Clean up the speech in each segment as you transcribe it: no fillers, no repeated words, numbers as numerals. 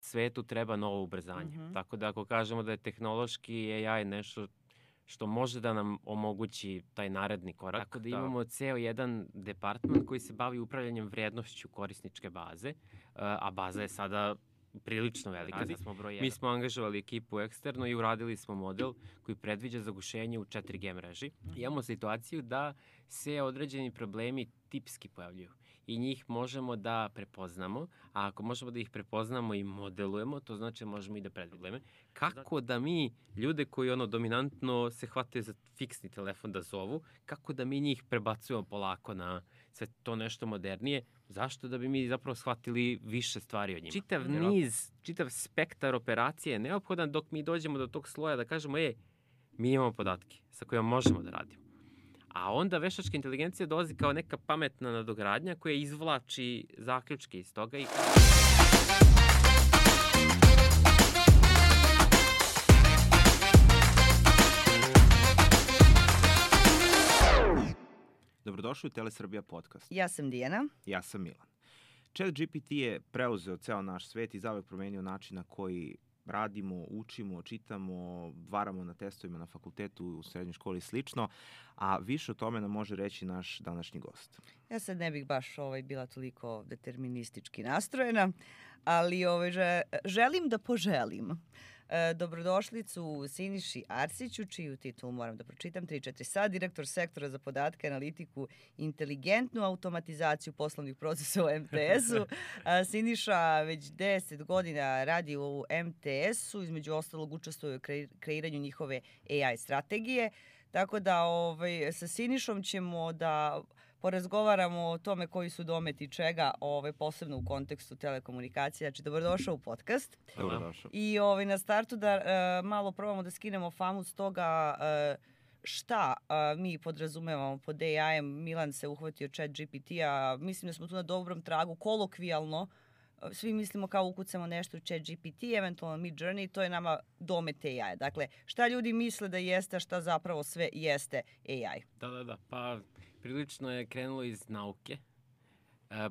svetu treba novo ubrzanje. Tako da ako kažemo da je tehnološki AI nešto što može da nam omogući taj naredni korak. Tako da imamo ceo jedan departman koji se bavi upravljanjem vrednošću korisničke baze, a baza je sada prilično velika. Mi smo angažovali ekipu eksterno i uradili smo model koji predviđa zagušenje u 4G mreži. Imamo situaciju da se određeni problemi tipski pojavljuju i njih možemo da prepoznamo, a ako možemo da ih prepoznamo i modelujemo, to znači da možemo i da predvidimo. Kako da mi, ljude koji dominantno se hvataju za fiksni telefon da zovu, kako da mi njih prebacujemo polako na sve to nešto modernije, zašto? Da bi mi zapravo shvatili više stvari od njima. Čitav spektar operacije je neophodan dok mi dođemo do tog sloja da kažemo, mi imamo podatke sa kojima možemo da radimo. A onda veštačka inteligencija dolazi kao neka pametna nadogradnja koja izvlači zaključke iz toga i... Dobrodošli u Telesrbija podcast. Ja sam Dijana. Ja sam Milan. ChatGPT je preuzeo ceo naš svet i zauvek promenio način na koji radimo, učimo, čitamo, varamo na testovima na fakultetu, u srednjoj školi i slično, a više o tome nam može reći naš današnji gost. Ja sad ne bih baš bila toliko deterministički nastrojena, ali želim da poželim dobrodošlicu Siniši Arsiću, čiju titulu moram da pročitam, 3-4 sad, direktor sektora za podatke, analitiku, inteligentnu automatizaciju poslovnih procesa u MTS-u. Siniša već 10 godina radi u MTS-u, između ostalog učestvuje u kreiranju njihove AI strategije, tako da sa Sinišom ćemo da porazgovaramo o tome koji su dometi čega, posebno u kontekstu telekomunikacije. Znači, dobrodošao u podcast. Dobrodošao. I na startu da malo probamo da skinemo famu s toga šta mi podrazumevamo pod AI-em. Milan se uhvatio ChatGPT-a. Mislim da smo tu na dobrom tragu, kolokvijalno. Svi mislimo kao ukucamo nešto u ChatGPT, eventualno Midjourney, to je nama domet AI. Dakle, šta ljudi misle da jeste, a šta zapravo sve jeste AI? Da. Pa prilično je krenulo iz nauke,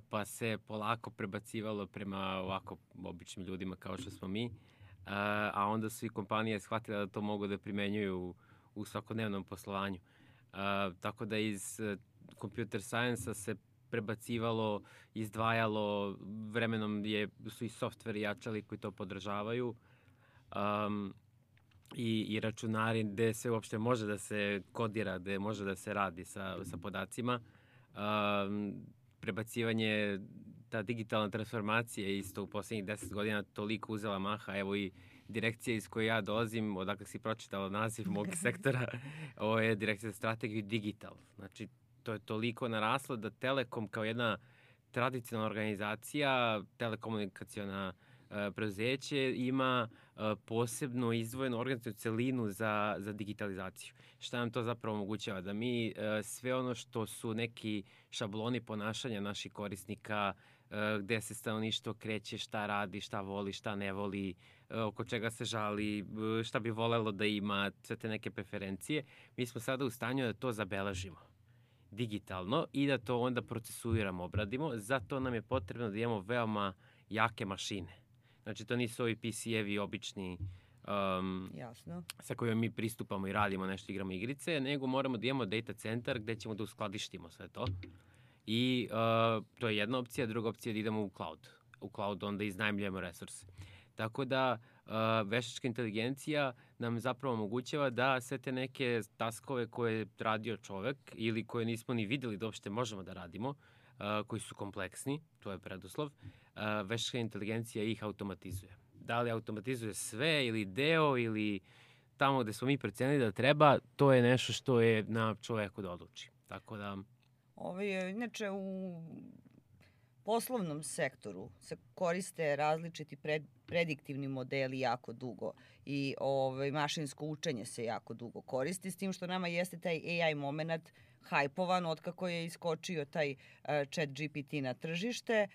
pa se polako prebacivalo prema ovako običnim ljudima kao što smo mi, a onda su i kompanije shvatile da to mogu da primenjuju u svakodnevnom poslovanju. Tako da iz computer science-a se prebacivalo, izdvajalo, vremenom su i softveri jačali koji to podržavaju i računari gde se uopšte može da se kodira, gde može da se radi sa podacima. Prebacivanje, ta digitalna transformacija isto u poslednjih 10 godina toliko uzela maha, evo i direkcija iz koje ja dolazim, odakle si pročitala naziv mog sektora, ovo je direkcija za strategiju digital. Znači, to je toliko naraslo da Telekom kao jedna tradicionalna organizacija, telekomunikaciona preduzeće ima posebno izdvojenu organizacionu celinu za digitalizaciju. Šta nam to zapravo omogućava? Da mi sve ono što su neki šabloni ponašanja naših korisnika, gde se stanovništvo kreće, šta radi, šta voli, šta ne voli, oko čega se žali, šta bi volelo da ima, sve te neke preferencije, mi smo sada u stanju da to zabeležimo digitalno i da to onda procesuiramo, obradimo. Zato nam je potrebno da imamo veoma jake mašine. Znači, to nisu ovi PC-evi obični sa kojima mi pristupamo i radimo nešto, igramo igrice, nego moramo da imamo data centar gde ćemo da uskladištimo sve to. I to je jedna opcija, druga opcija je da idemo u cloud. U cloud onda iznajmljujemo resurse. Tako da veštačka inteligencija nam zapravo omogućava da sve te neke taskove koje je radio čovek ili koje nismo ni videli da uopšte možemo da radimo, koji su kompleksni, to je preduslov, veštačka inteligencija ih automatizuje. Da li automatizuje sve ili deo ili tamo gde smo mi procenili da treba, to je nešto što je na čoveku da odluči. Tako da... Inače, u poslovnom sektoru se koriste različiti prediktivni modeli jako dugo i mašinsko učenje se jako dugo koristi, s tim što nama jeste taj AI moment hajpovan otkako je iskočio taj ChatGPT na tržište,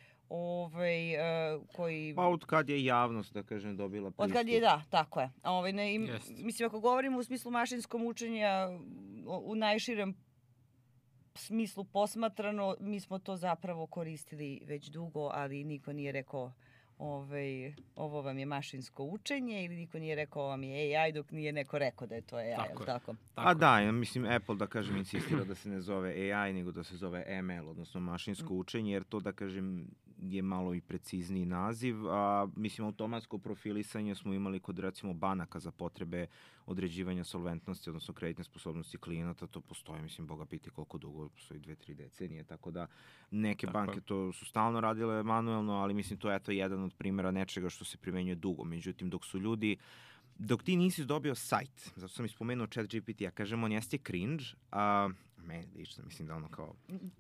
koji... Pa od kad je javnost, da kažem, dobila pristup. Od kad je, da, tako je. Mislim, ako govorimo u smislu mašinskom učenja, u najširem smislu posmatrano, mi smo to zapravo koristili već dugo, ali niko nije rekao ovo vam je mašinsko učenje ili niko nije rekao ovo vam je AI dok nije neko rekao da je to AI, Tako je. tako? A da, ja mislim Apple, da kažem, insistira da se ne zove AI, nego da se zove ML, odnosno mašinsko učenje, jer to, da kažem, je malo i precizniji naziv. A, mislim, automatsko profilisanje smo imali kod, recimo, banaka za potrebe određivanja solventnosti, odnosno kreditne sposobnosti klijenata. To postoji, mislim, Boga piti koliko dugo, postoji 2-3 decenije, tako da neke banke to su stalno radile manuelno, ali mislim, to je eto jedan od primjera nečega što se primenjuje dugo. Međutim, dok ti nisi dobio sajt, zato sam ispomenuo ChatGPT, ja kažem, on jeste cringe, meni lično, mislim da ono kao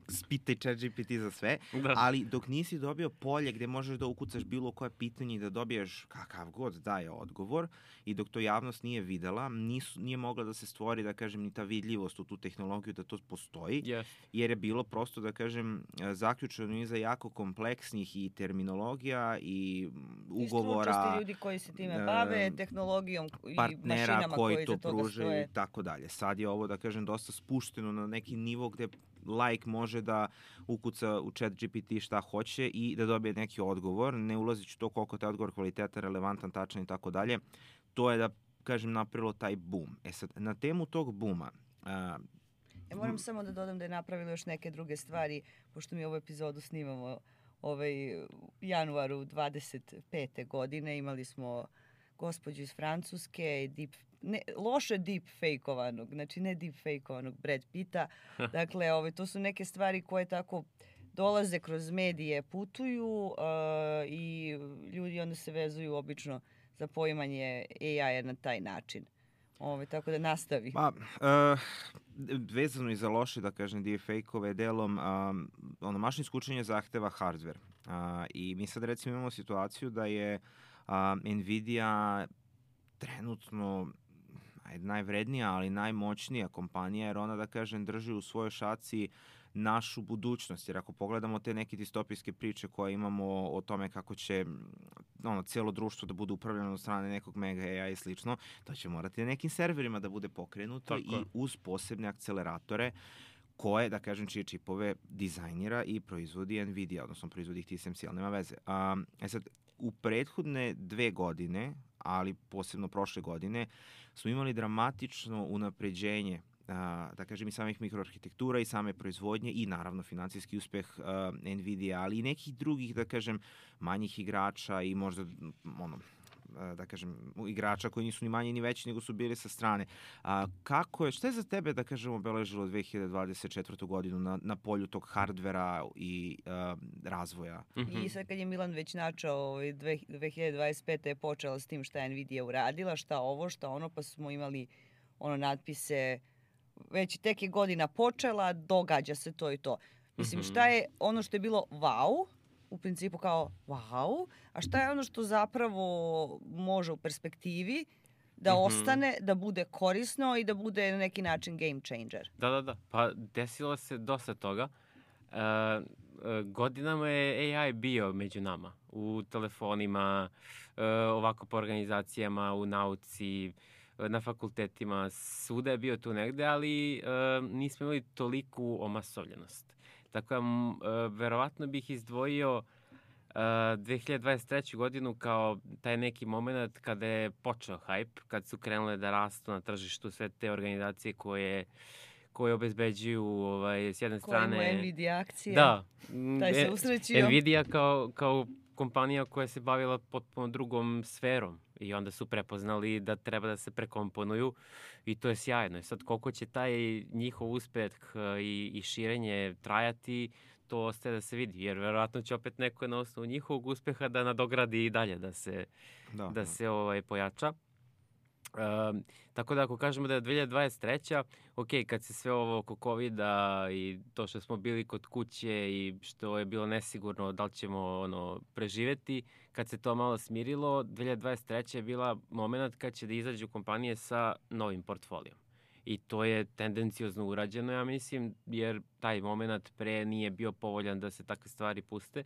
spitaj ChatGPT za sve, ali dok nisi dobio polje gde možeš da ukucaš bilo koje pitanje i da dobiješ kakav god daje odgovor i dok to javnost nije videla, nije mogla da se stvori, da kažem, ni ta vidljivost u tu tehnologiju da to postoji, jer je bilo prosto, da kažem, zaključeno iza jako kompleksnih i terminologija i ugovora. I stručnosti ljudi koji se time bave, tehnologijom i partnera mašinama koji to iza toga pružaju stoje. i tako dalje. Sad je ovo, da kažem, dosta spušteno na neki nivo gde laik može da ukuca u ChatGPT šta hoće i da dobije neki odgovor, ne ulazići u to koliko taj odgovor kvalitetan, relevantan, tačan i tako dalje. To je, da kažem, napravilo taj boom. Sad, na temu tog booma, ja moram samo da dodam da je napravilo još neke druge stvari, pošto mi ovu epizodu snimamo januaru 25. godine. Imali smo gospođu iz Francuske, loše deepfake-ovanog, znači ne deepfake-ovanog Brad Pitta. Dakle, to su neke stvari koje tako dolaze kroz medije, putuju i ljudi onda se vezuju obično za poimanje AI-a na taj način. Tako da nastavi. Vezano i za loše, da kažem, deepfake-ove delom, mašinsko učenje zahteva hardware. I mi sad recimo imamo situaciju da je Nvidia trenutno najvrednija, ali najmoćnija kompanija, jer ona, da kažem, drži u svojoj šaci našu budućnost. Jer ako pogledamo te neke distopijske priče koje imamo o tome kako će cijelo društvo da bude upravljeno od strane nekog mega AI i slično, to će morati na nekim serverima da bude pokrenuto i uz posebne akceleratore koje, da kažem, čije čipove dizajnira i proizvodi Nvidia, odnosno proizvodi ih TSMC, ali nema veze. Sad, u prethodne 2 godine, ali posebno prošle godine, smo imali dramatično unapređenje, da kažem, i samih mikroarhitektura i same proizvodnje i naravno financijski uspeh Nvidia, ali i nekih drugih, da kažem, manjih igrača i možda da kažem, igrača koji nisu ni manji ni veći nego su bili sa strane. Šta je za tebe, da kažem, obeležilo 2024. godinu na polju tog hardvera i razvoja? I sad kad je Milan već načao, 2025. je počela s tim šta je Nvidia uradila, šta ovo, šta ono, pa smo imali natpise, već tek je godina počela, događa se to i to. Mislim, šta je ono što je bilo wow, u principu kao wow, a šta je ono što zapravo može u perspektivi da ostane, da bude korisno i da bude na neki način game changer? Da. Pa desilo se dosta toga. Godinama je AI bio među nama. U telefonima, ovako po organizacijama, u nauci, na fakultetima. Svuda je bio tu negde, ali nismo imali toliku omasovljenost. Tako da, verovatno bih izdvojio 2023. godinu kao taj neki moment kada je počeo hype, kad su krenule da rastu na tržištu sve te organizacije koje obezbeđuju s jedne strane... Koje imaju Nvidia akcije. Da. Taj se usrećio. Nvidia kao kompanija koja se bavila potpuno drugom sferom i onda su prepoznali da treba da se prekomponuju i to je sjajno. I sad koliko će taj njihov uspeh i širenje trajati, to ostaje da se vidi, jer verovatno će opet neko na osnovu njihovog uspeha da nadogradi i dalje, da se pojača. Tako da ako kažemo da je 2023. Ok, kad se sve ovo oko COVID-a i to što smo bili kod kuće i što je bilo nesigurno da li ćemo preživeti, kad se to malo smirilo, 2023. je bila moment kad će da izađu kompanije sa novim portfolijom. I to je tendencijozno urađeno, ja mislim, jer taj moment pre nije bio povoljan da se takve stvari puste,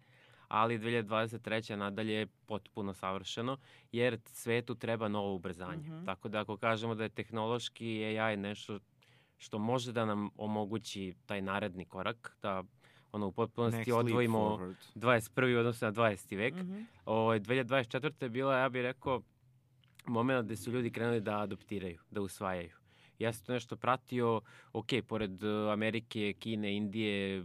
ali 2023. nadalje je potpuno savršeno, jer svetu treba novo ubrzanje. Tako da ako kažemo da je tehnološki AI nešto što može da nam omogući taj naredni korak, da u potpunosti Next leap odvojimo forward. 21. odnosno na 20. vek. 2024. je bila, ja bih rekao, moment gde su ljudi krenuli da adoptiraju, da usvajaju. Ja sam to nešto pratio, pored Amerike, Kine, Indije,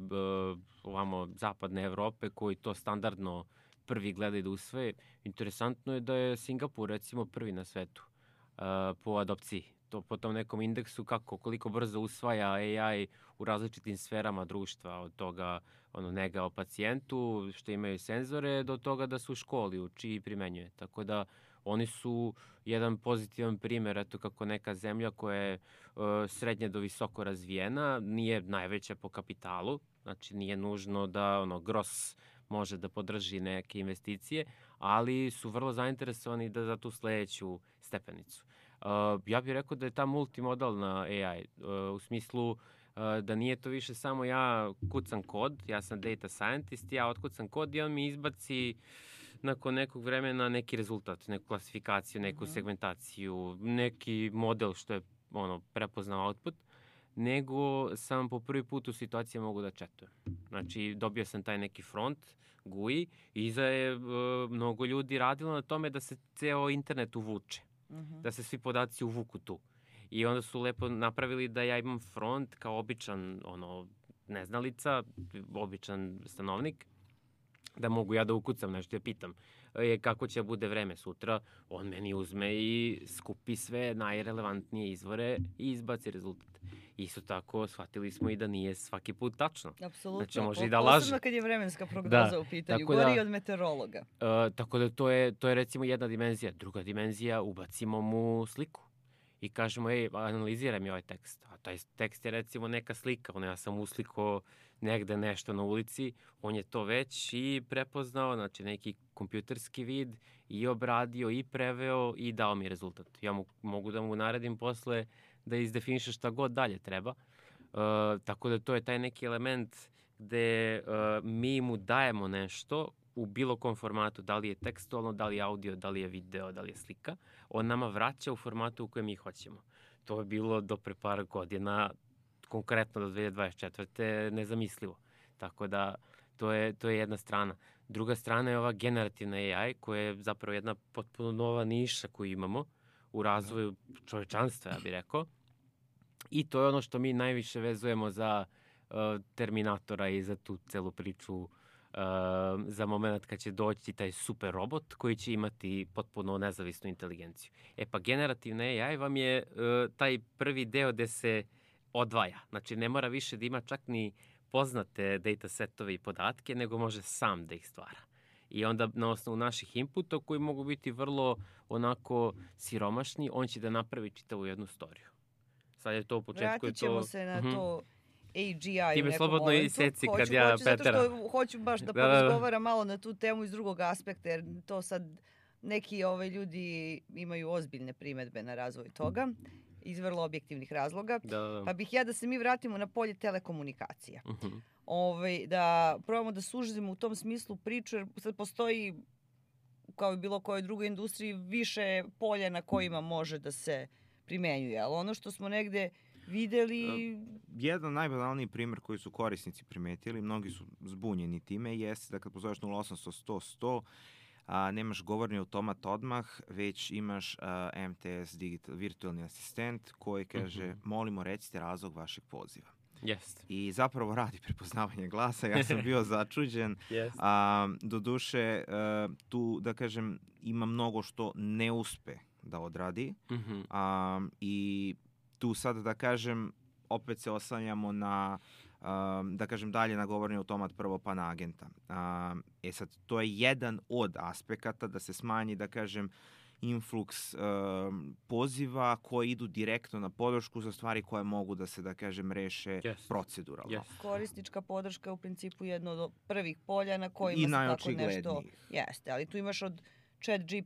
ovamo zapadne Evrope, koji to standardno prvi gledaju da usvoje. Interesantno je da je Singapur, recimo, prvi na svetu po adopciji. To po tom nekom indeksu koliko brzo usvaja AI u različitim sferama društva, od toga nega o pacijentu, što imaju senzore, do toga da su u školi uči i primenjuje. Tako da oni su jedan pozitivan primer, eto kako neka zemlja koja je srednje do visoko razvijena, nije najveća po kapitalu, znači nije nužno da gros može da podrži neke investicije, ali su vrlo zainteresovani da za tu sledeću stepenicu. Ja bih rekao da je ta multimodalna AI, u smislu da nije to više samo ja kucam kod, ja sam data scientist, ja otkucam kod i on mi izbaci nakon nekog vremena neki rezultat, neku klasifikaciju, neku segmentaciju, neki model što je prepoznao output, nego sam po prvi put u situaciji mogu da četujem. Znači, dobio sam taj neki front, GUI, i iza je mnogo ljudi radilo na tome da se ceo internet uvuče, da se svi podaci uvuku tu. I onda su lepo napravili da ja imam front kao običan neznalica, običan stanovnik, da mogu ja da ukucam nešto, ja pitam kako će bude vreme sutra, on meni uzme i skupi sve najrelevantnije izvore i izbaci rezultat. Isto tako, shvatili smo i da nije svaki put tačno. Apsolutno, znači, može i da laže. Posebno kad je vremenska prognoza u pitanju, gori od meteorologa. Tako da to je recimo jedna dimenzija. Druga dimenzija, ubacimo mu sliku i kažemo, analiziraj mi ovaj tekst. A taj tekst je recimo neka slika, ja sam uslikao negde nešto na ulici, on je to već i prepoznao, znači neki kompjuterski vid, i obradio, i preveo, i dao mi rezultat. Ja mogu da mu naredim posle da izdefiniše šta god dalje treba. Tako da to je taj neki element gde mi mu dajemo nešto u bilo kom formatu, da li je tekstualno, da li je audio, da li je video, da li je slika, on nama vraća u formatu u kojem mi hoćemo. To je bilo do pre par godina, konkretno do 2024. nezamislivo. Tako da to je jedna strana. Druga strana je ova generativna AI, koja je zapravo jedna potpuno nova niša koju imamo u razvoju čovečanstva, ja bih rekao. I to je ono što mi najviše vezujemo za Terminatora i za tu celu priču, za moment kad će doći taj super robot koji će imati potpuno nezavisnu inteligenciju. Pa generativna AI vam je taj prvi deo gde se odvaja. Znači, ne mora više da ima čak ni poznate datasetove i podatke, nego može sam da ih stvara. I onda na osnovu naših inputa, koji mogu biti vrlo onako siromašni, on će da napravi čitavu jednu storiju. Sad je to u početku. Vratit ćemo se na to AGI u nekom slobodno momentu. Iseci kad ja Petera. Zato što hoću baš da porazgovaram malo na tu temu iz drugog aspekta, jer to sad neki ljudi imaju ozbiljne primetbe na razvoj toga iz vrlo objektivnih razloga. Pa bih da se mi vratimo na polje telekomunikacija. Da probamo da sužimo u tom smislu priču, jer sad postoji, kao i bilo kojoj drugoj industriji, više polja na kojima može da se primenjuje. Ali ono što smo negde videli... Jedan najbanalniji primer koji su korisnici primetili, mnogi su zbunjeni time, jeste da kad pozoveš 0800 100 nemaš govorni automat odmah, već imaš MTS digital, virtualni asistent koji kaže molimo recite razlog vašeg poziva. Jest. I zapravo radi prepoznavanje glasa. Ja sam bio začuđen. Doduše, tu, da kažem, ima mnogo što ne uspe da odradi. I tu sad, da kažem, opet se oslanjamo na, da kažem, dalje na govorni automat prvo pa na agenta. Sad, to je jedan od aspekata da se smanji, da kažem, influx poziva koji idu direktno na podršku za stvari koje mogu da se, da kažem, reše proceduralno. Korisnička podrška je u principu jedno od prvih polja na kojima se tako nešto... Jeste, ali tu imaš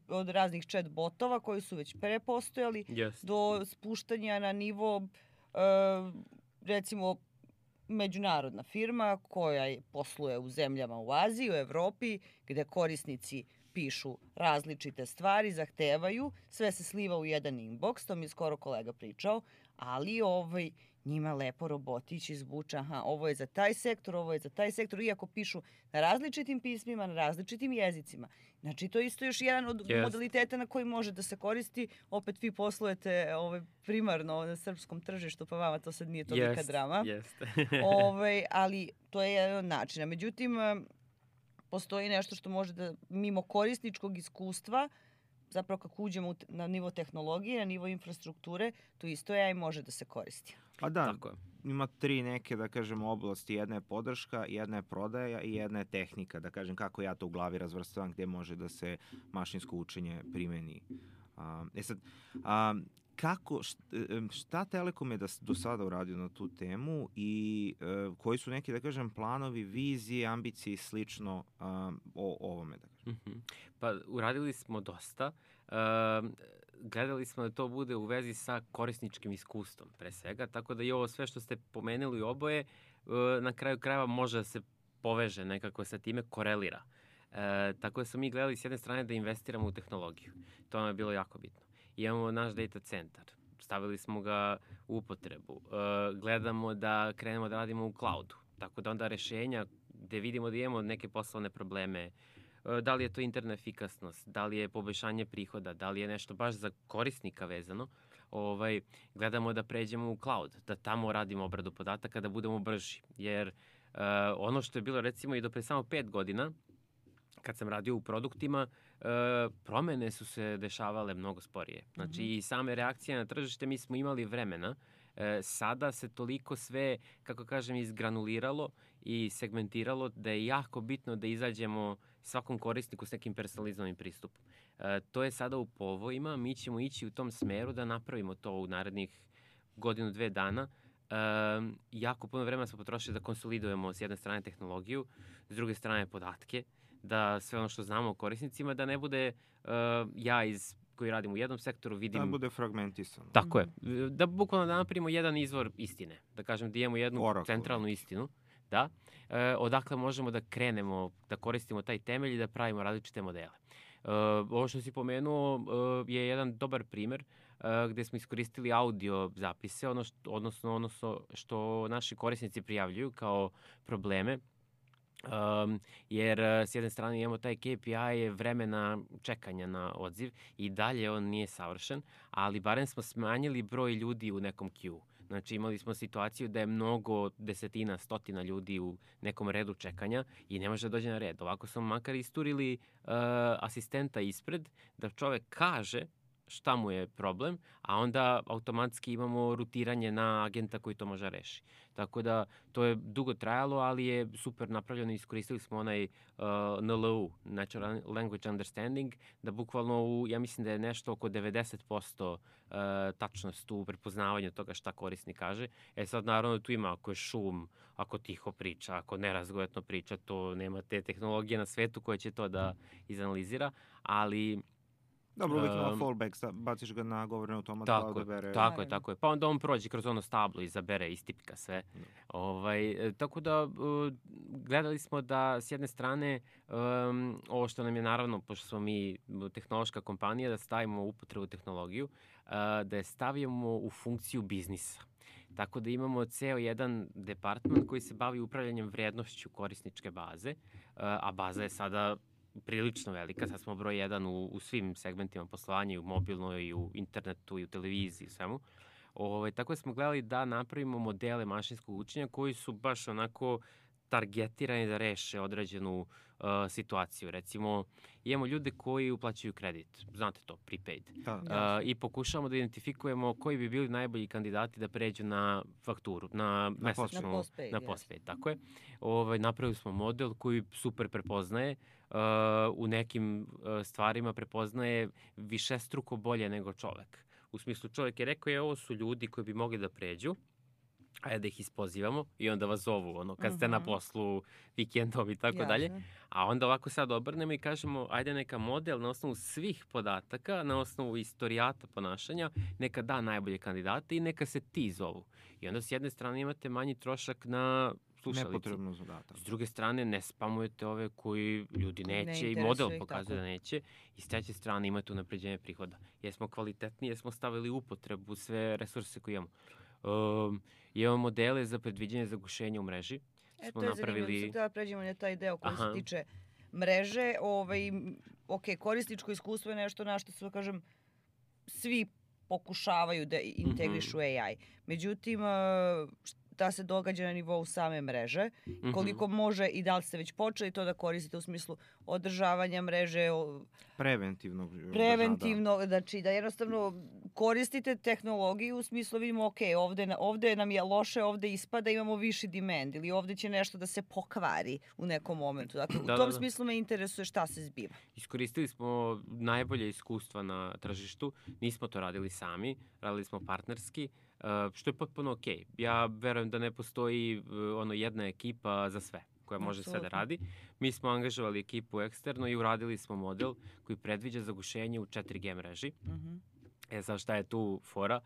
od raznih chat botova koji su već prepostojali do spuštanja na nivo, recimo, međunarodna firma koja posluje u zemljama u Aziji, u Evropi, gde korisnici pišu različite stvari, zahtevaju, sve se sliva u jedan inbox, to mi je skoro kolega pričao, ali njima lepo robotić izvuče, aha, ovo je za taj sektor, ovo je za taj sektor, iako pišu na različitim pismima, na različitim jezicima. Znači, to je isto još jedan od modaliteta na koji može da se koristi. Opet vi poslujete primarno na srpskom tržištu, pa vama to sad nije tolika drama. Ali to je jedan od načina. Međutim, postoji nešto što može da, mimo korisničkog iskustva, zapravo kako uđemo na nivo tehnologije, na nivo infrastrukture, to isto je i može da se koristi. Pa da, ima 3 neke, da kažem, oblasti. Jedna je podrška, jedna je prodaja i jedna je tehnika. Da kažem, kako ja to u glavi razvrstavam, gde može da se mašinsko učenje primeni. Šta Telekom je do sada uradio na tu temu i koji su neki, da kažem, planovi, vizije, ambicije i slično o ovome, da kažem? Pa uradili smo dosta. Gledali smo da to bude u vezi sa korisničkim iskustvom, pre svega, tako da i ovo sve što ste pomenuli oboje, na kraju krajeva može da se poveže nekako sa time, korelira. Tako da smo mi gledali s jedne strane da investiramo u tehnologiju. To nam je bilo jako bitno. Imamo naš data centar, stavili smo ga u upotrebu. Gledamo da krenemo da radimo u cloudu, tako da onda rešenja gde vidimo da imamo neke poslovne probleme, da li je to interna efikasnost, da li je poboljšanje prihoda, da li je nešto baš za korisnika vezano, gledamo da pređemo u cloud, da tamo radimo obradu podataka, da budemo brži. Jer ono što je bilo recimo i do pre samo 5 godina, kad sam radio u produktima, promene su se dešavale mnogo sporije. Znači i same reakcije na tržište, mi smo imali vremena. Sada se toliko sve, kako kažem, izgranuliralo i segmentiralo da je jako bitno da izađemo svakom korisniku s nekim personalizovanim pristupom. To je sada u povojima, mi ćemo ići u tom smeru da napravimo to u narednih 1-2 dana. Jako puno vremena smo potrošili da konsolidujemo s jedne strane tehnologiju, s druge strane podatke, da sve ono što znamo o korisnicima, da ne bude ja koji radim u jednom sektoru vidim... Da bude fragmentisano. Tako je. Da bukvalno da napravimo jedan izvor istine. Da kažem da imamo jednu centralnu istinu. Da. Odakle možemo da krenemo, da koristimo taj temelj i da pravimo različite modele. Ovo što si pomenuo je jedan dobar primer gde smo iskoristili audio zapise, odnosno što naši korisnici prijavljuju kao probleme. Jer s jedne strane imamo taj KPI vremena čekanja na odziv i dalje on nije savršen, ali barem smo smanjili broj ljudi u nekom queue. Znači imali smo situaciju da je mnogo desetina, stotina ljudi u nekom redu čekanja i ne može da dođe na red. Ovako smo makar isturili asistenta ispred da čovek kaže šta mu je problem, a onda automatski imamo rutiranje na agenta koji to može reši. Tako da to je dugo trajalo, ali je super napravljeno. Iskoristili smo onaj NLU, Natural Language Understanding, da bukvalno ja mislim da je nešto oko 90% tačnost u prepoznavanju toga šta korisnik kaže. Sad naravno tu ima ako je šum, ako tiho priča, ako nerazgojetno priča, to nema te tehnologije na svetu koje će to da izanalizira, ali... Dobro, uvijek ima fallback, baciš ga na govorni automat da odabere. Tako je. Pa onda on prođe kroz ono stablo, izabere, istipka sve. Tako da gledali smo da s jedne strane ovo što nam je naravno, pošto smo mi tehnološka kompanija, da stavimo u upotrebu tehnologiju, da je stavimo u funkciju biznisa. Tako da imamo ceo jedan departman koji se bavi upravljanjem vrednošću korisničke baze, a baza je sada prilično velika, sad smo broj 1 u svim segmentima poslovanja, i u mobilnoj, i u internetu, i u televiziji, i svemu. Tako da smo gledali da napravimo modele mašinskog učenja koji su baš onako targetirani da reše određenu situaciju. Recimo, imamo ljude koji uplaćuju kredit, znate to, prepaid. I pokušavamo da identifikujemo koji bi bili najbolji kandidati da pređu na fakturu, na mesečnu, na postpaid. Tako je. Napravili smo model koji super prepoznaje, u nekim stvarima prepoznaje višestruko bolje nego čovek. U smislu, čovek je rekao, ovo su ljudi koji bi mogli da pređu, ajde da ih ispozivamo i onda vas zovu, kad ste na poslu, vikendom i tako dalje. A onda ovako sad obrnemo i kažemo, ajde neka model na osnovu svih podataka, na osnovu istorijata ponašanja, neka da najbolje kandidate i neka se ti zovu. I onda s jedne strane imate manji trošak na slušalici. Nepotrebno zadatak. S druge strane, ne spamujete ove koji ljudi neće i model pokazuje da neće. I s treće strane imate unapređenje prihoda. Jesmo kvalitetni, jesmo stavili u upotrebu sve resurse koje imamo. Imamo modele za predviđanje zagušenja u mreži. To je zanimljivo, da pređemo na taj deo koji se tiče mreže. Korisničko iskustvo je nešto na što se, kažem, svi pokušavaju da integrišu AI. Međutim, šta se događa na nivou same mreže, koliko može i da li ste već počeli to da koristite u smislu održavanja mreže, preventivno, znači da jednostavno koristite tehnologiju u smislu vidimo, ovde nam je loše, ovde ispada, imamo viši demand ili ovde će nešto da se pokvari u nekom momentu. Dakle, u tom smislu me interesuje šta se zbiva. Iskoristili smo najbolje iskustva na tržištu, nismo to radili sami, radili smo partnerski, što je potpuno okej. Ja verujem da ne postoji jedna ekipa za sve koja može sve da radi. Mi smo angažovali ekipu eksterno i uradili smo model koji predviđa zagušenje u 4G mreži. Sad šta je tu fora?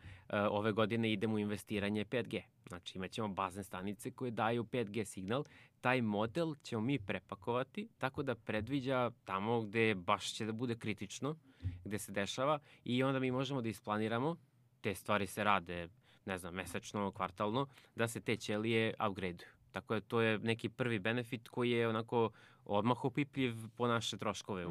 Ove godine idemo u investiranje 5G. Znači imaćemo bazne stanice koje daju 5G signal. Taj model ćemo mi prepakovati tako da predviđa tamo gde baš će da bude kritično, gde se dešava i onda mi možemo da isplaniramo, te stvari se rade, ne znam, mesečno, kvartalno, da se te ćelije upgrade-uju. Tako da to je neki prvi benefit koji je onako odmah opipljiv po naše troškove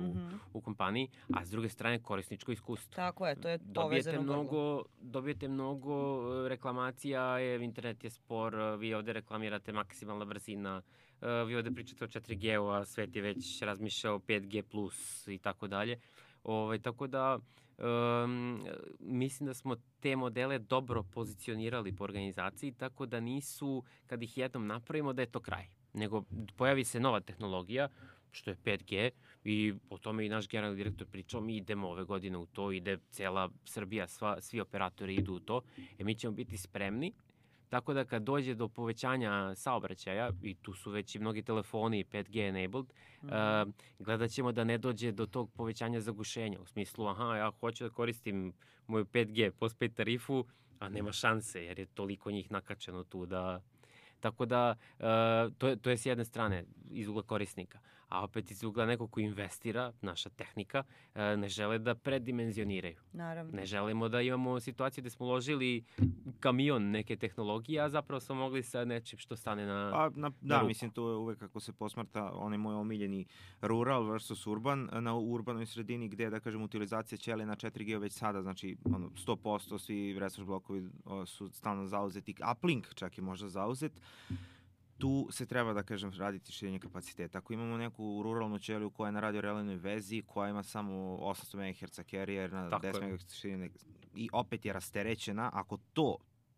u kompaniji, a s druge strane korisničko iskustvo. Tako je, to je povezano. Dobijete mnogo reklamacija, internet je spor, vi ovde reklamirate maksimalna brzina, vi ovde pričate o 4G-u, a svet je već razmišljao o 5G+, i tako dalje. Tako da mislim da smo te modele dobro pozicionirali po organizaciji, tako da nisu, kad ih jednom napravimo, da je to kraj. Nego pojavi se nova tehnologija, što je 5G, i o tome i naš generalni direktor pričao, mi idemo ove godine u to, ide cela Srbija, svi operatori idu u to, mi ćemo biti spremni. Tako da kad dođe do povećanja saobraćaja, i tu su već i mnogi telefoni 5G enabled, gledat ćemo da ne dođe do tog povećanja zagušenja. U smislu, ja hoću da koristim moju 5G postpaid tarifu, a nema šanse jer je toliko njih nakačeno tu da... Tako da, to je s jedne strane iz ugla korisnika. A opet iz ugla nekog ko investira, naša tehnika, ne žele da predimenzioniraju. Naravno. Ne želimo da imamo situaciju gde smo uložili kamion neke tehnologije, a zapravo smo mogli sa nečim što stane na ruku. Mislim, to je uvek kako se posmarta onaj moj omiljeni rural versus urban, na urbanoj sredini gde, da kažem, utilizacija ćelija na 4G već sada, znači 100%, svi resource blokovi su stalno zauzeti, uplink čak je možda zauzet. Tu se treba, da kažem, raditi širenje kapaciteta. Ako imamo neku ruralnu ćeliju koja je na radiorelejnoj vezi, koja ima samo 800 MHz carrier na 10 MHz širine i opet je rasterećena, ako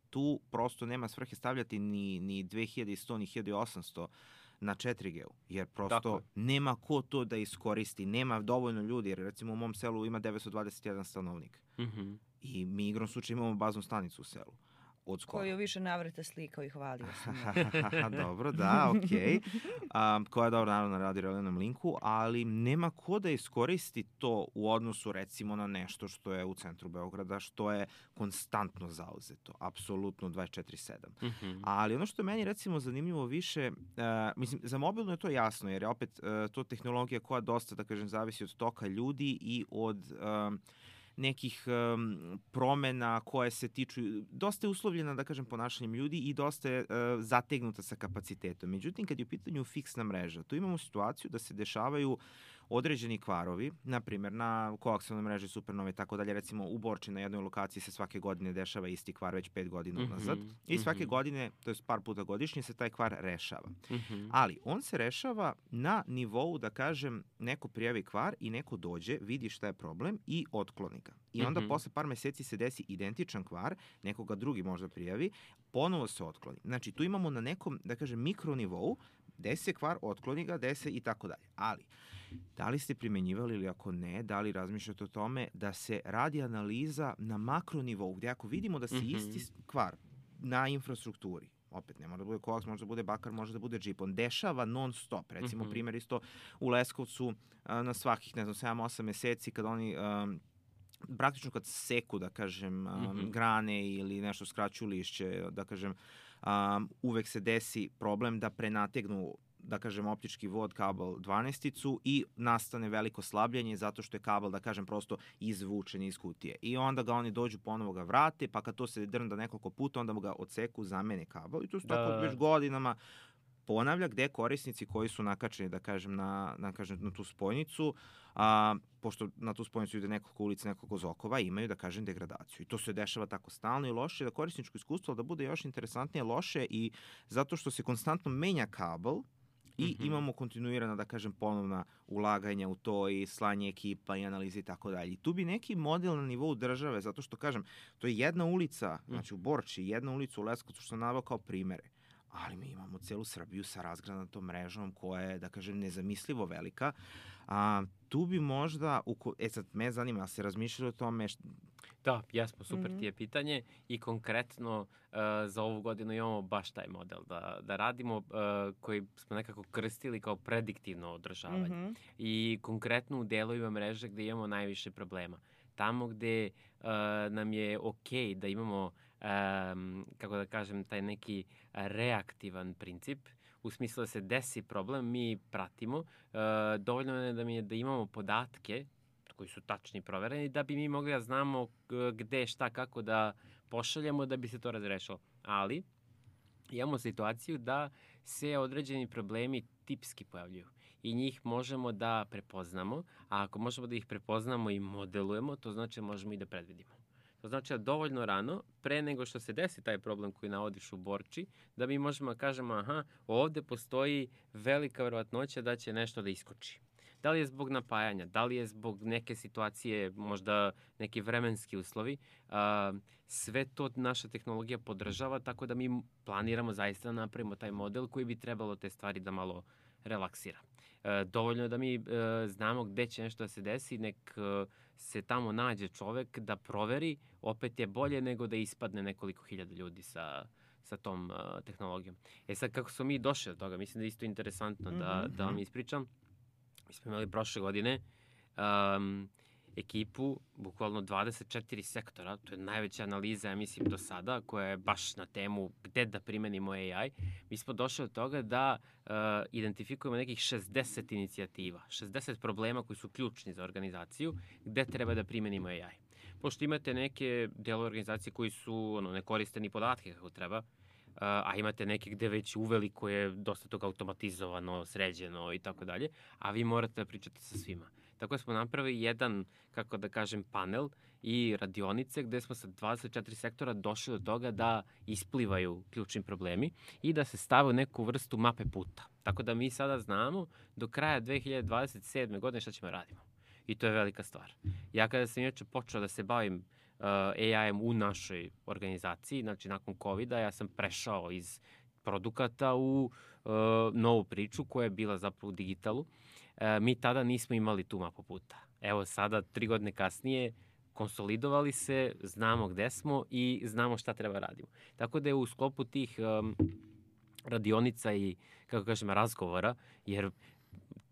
tu prosto nema svrhe stavljati ni 2100 ni 1800 na 4G-u, jer prosto nema ko to da iskoristi, nema dovoljno ljudi, jer recimo u mom selu ima 921 stanovnik i mi igrom slučaja imamo baznu stanicu u selu. Koju više navrata slikao i hvalio sam. Dobro, da, okej. Koja je dobro naravno na radiorelejnom linku, ali nema ko da iskoristi to u odnosu recimo na nešto što je u centru Beograda, što je konstantno zauzeto, apsolutno 24/7. Ali ono što je meni recimo zanimljivo više, mislim, za mobilno je to jasno, jer je opet to tehnologija koja dosta, da kažem, zavisi od toka ljudi i od... nekih promena koje se tiču, dosta je uslovljena, da kažem, ponašanjem ljudi i dosta je zategnuta sa kapacitetom. Međutim, kad je u pitanju fiksna mreža, tu imamo situaciju da se dešavaju određeni kvarovi, na primjer na koaksijalnoj mreži Supernova i tako dalje, recimo u Borči na jednoj lokaciji se svake godine dešava isti kvar već 5 godina unazad i svake godine, to je par puta godišnje, se taj kvar rešava. Ali on se rešava na nivou, da kažem, neko prijavi kvar i neko dođe, vidi šta je problem i otkloni ga. I onda posle par meseci se desi identičan kvar, nekoga drugi možda prijavi, ponovo se otkloni. Znači tu imamo na nekom, da kažem, mikronivou, desi se kvar, otkloni ga, desi i tako dalje. Ali da li ste primenjivali ili ako ne, da li razmišljate o tome da se radi analiza na makronivou, gde ako vidimo da se isti kvar na infrastrukturi, opet ne mora da bude koaks, može da bude bakar, može da bude džip, on dešava non stop. Recimo primjer isto u Leskovcu na svakih, ne znam, 7-8 meseci kad oni praktično kad seku, da kažem, grane ili nešto skraćuju lišće, da kažem, uvek se desi problem da prenategnu da kažem, optički vod, kabel 12-icu i nastane veliko slabljenje zato što je kabel, da kažem, prosto izvučen iz kutije. I onda ga oni dođu, ponovo ga vrate, pa kad to se drnda nekoliko puta, onda ga odseku, zamene kabel. I to su tako već godinama ponavlja, gde korisnici koji su nakačeni, da kažem, na tu spojnicu, pošto na tu spojnicu ide nekoliko ulica, nekoliko zokova, imaju, da kažem, degradaciju. I to se dešava tako stalno i loše, da korisničko iskustvo da bude još interesantnije loše i zato što se konstantno menja kabel i imamo kontinuirana, da kažem, ponovna ulaganja u to i slanje ekipa i analize i tako dalje. I tu bi neki model na nivou države, zato što, kažem, to je jedna ulica, znači u Borči, jedna ulica u Leskovcu, što sam naveo kao primere. Ali mi imamo celu Srbiju sa razgranatom mrežom koja je, da kažem, nezamislivo velika. Tu bi možda, sad me zanima, ali se razmišljali o tome? Da, jesmo, super ti je pitanje i konkretno za ovu godinu imamo baš taj model da radimo koji smo nekako krstili kao prediktivno održavanje. I konkretno u delovima mreže gde imamo najviše problema. Tamo gde nam je okej da imamo kako da kažem, taj neki reaktivan princip, u smislu da se desi problem, mi pratimo. Dovoljno je da imamo podatke koji su tačni i provereni, da bi mi mogli da znamo gde, šta, kako da pošaljemo da bi se to razrešilo. Ali imamo situaciju da se određeni problemi tipski pojavljuju i njih možemo da prepoznamo, a ako možemo da ih prepoznamo i modelujemo, to znači da možemo i da predvidimo. To znači da dovoljno rano, pre nego što se desi taj problem koji navodiš u Borči, da mi možemo da kažemo, ovde postoji velika verovatnoća da će nešto da iskoči. Da li je zbog napajanja, da li je zbog neke situacije, možda neki vremenski uslovi, sve to naša tehnologija podržava, tako da mi planiramo zaista da napravimo taj model koji bi trebalo te stvari da malo relaksira. Dovoljno je da mi znamo gde će nešto da se desi, nek se tamo nađe čovek da proveri, opet je bolje nego da ispadne nekoliko hiljada ljudi sa tom tehnologijom. Sad, kako smo mi došli od toga, mislim da je isto interesantno da vam ispričam. Mi smo imali prošle godine ekipu, bukvalno 24 sektora, to je najveća analiza, ja mislim, do sada, koja je baš na temu gde da primenimo AI. Mi smo došli od toga da identifikujemo nekih 60 inicijativa, 60 problema koji su ključni za organizaciju, gde treba da primenimo AI. Pošto imate neke delove organizacije koji su ne koriste ni podatke kako treba, a imate neke gde već uveliko je dosta toga automatizovano, sređeno i tako dalje, a vi morate da pričate sa svima. Tako da smo napravili jedan, kako da kažem, panel i radionice gde smo sa 24 sektora došli do toga da isplivaju ključni problemi i da se stave u neku vrstu mape puta. Tako da mi sada znamo do kraja 2027. godine šta ćemo radimo. I to je velika stvar. Ja kada sam inače počeo da se bavim AI-em u našoj organizaciji, znači nakon COVID-a, ja sam prešao iz produkata u novu priču koja je bila zapravo u digitalu. Mi tada nismo imali tu mapu puta. Evo sada, 3 godine kasnije, konsolidovali se, znamo gde smo i znamo šta treba radimo. Tako da je u sklopu tih radionica i, kako kažem, razgovora, jer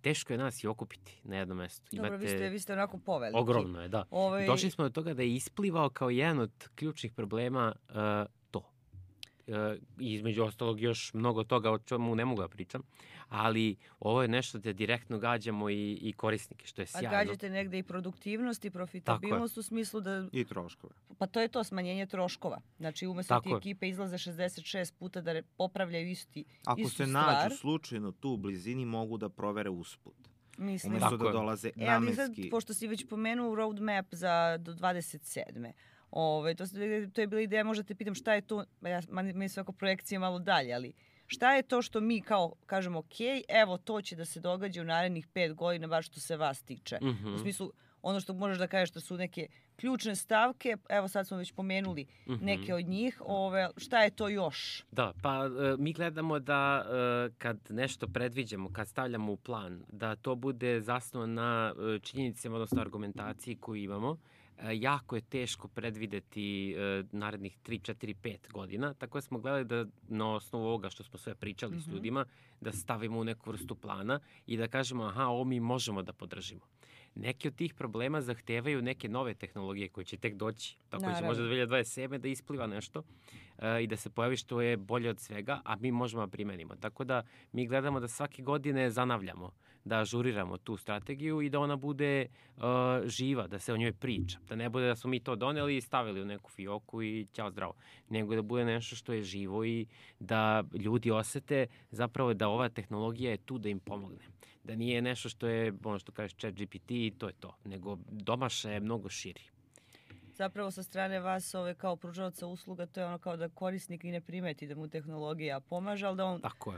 teško je nas i okupiti na jednom mestu. Dobro, vi ste onako poveliki. Ogromno je, da. Došli smo do toga da je isplivao kao jedan od ključnih problema to. Između ostalog još mnogo toga o čemu ne mogu da pričam, ali ovo je nešto da direktno gađamo i korisnike, što je sjajno. A gađate negde i produktivnost i profitabilnost u smislu da... I troškove. Pa to je to, smanjenje troškova. Znači, umesto ti ekipe izlaze 66 puta da popravljaju istu stvar. Ako se nađu slučajno tu u blizini, mogu da provere usput. Mislim. Umesto da dolaze namenski. Ali sad, pošto si već pomenuo roadmap do 27. To je bila ideja, možda te pitam šta je to, mi svako projekcije malo dalje, ali šta je to što mi kao kažemo, ok, evo to će da se događa u narednih 5 godina, baš što se vas tiče. U smislu, ono što možeš da kažeš da su neke ključne stavke, evo sad smo već pomenuli neke od njih, šta je to još? Da, pa mi gledamo da kad nešto predviđamo, kad stavljamo u plan, da to bude zasnovano na činjenicama, odnosno argumentaciji koju imamo. Jako je teško predvideti narednih 3, 4, 5 godina, tako da smo gledali da na osnovu ovoga što smo sve pričali s ljudima, da stavimo u neku vrstu plana i da kažemo, ovo mi možemo da podržimo. Neki od tih problema zahtevaju neke nove tehnologije koje će tek doći. Tako će Naravno. možda 2027. da ispliva nešto i da se pojavi što je bolje od svega, a mi možemo da primenimo. Tako da mi gledamo da svake godine zanavljamo, da ažuriramo tu strategiju i da ona bude živa, da se o njoj priča. Da ne bude da smo mi to doneli i stavili u neku fioku i ćao zdravo. Nego da bude nešto što je živo i da ljudi osete zapravo da ova tehnologija je tu da im pomogne. Da nije nešto što je, ono što kažeš, ChatGPT i to je to. Nego domaša je mnogo širi. Zapravo sa strane vas kao pružaoca usluga to je ono kao da korisnik i ne primeti da mu tehnologija pomaže,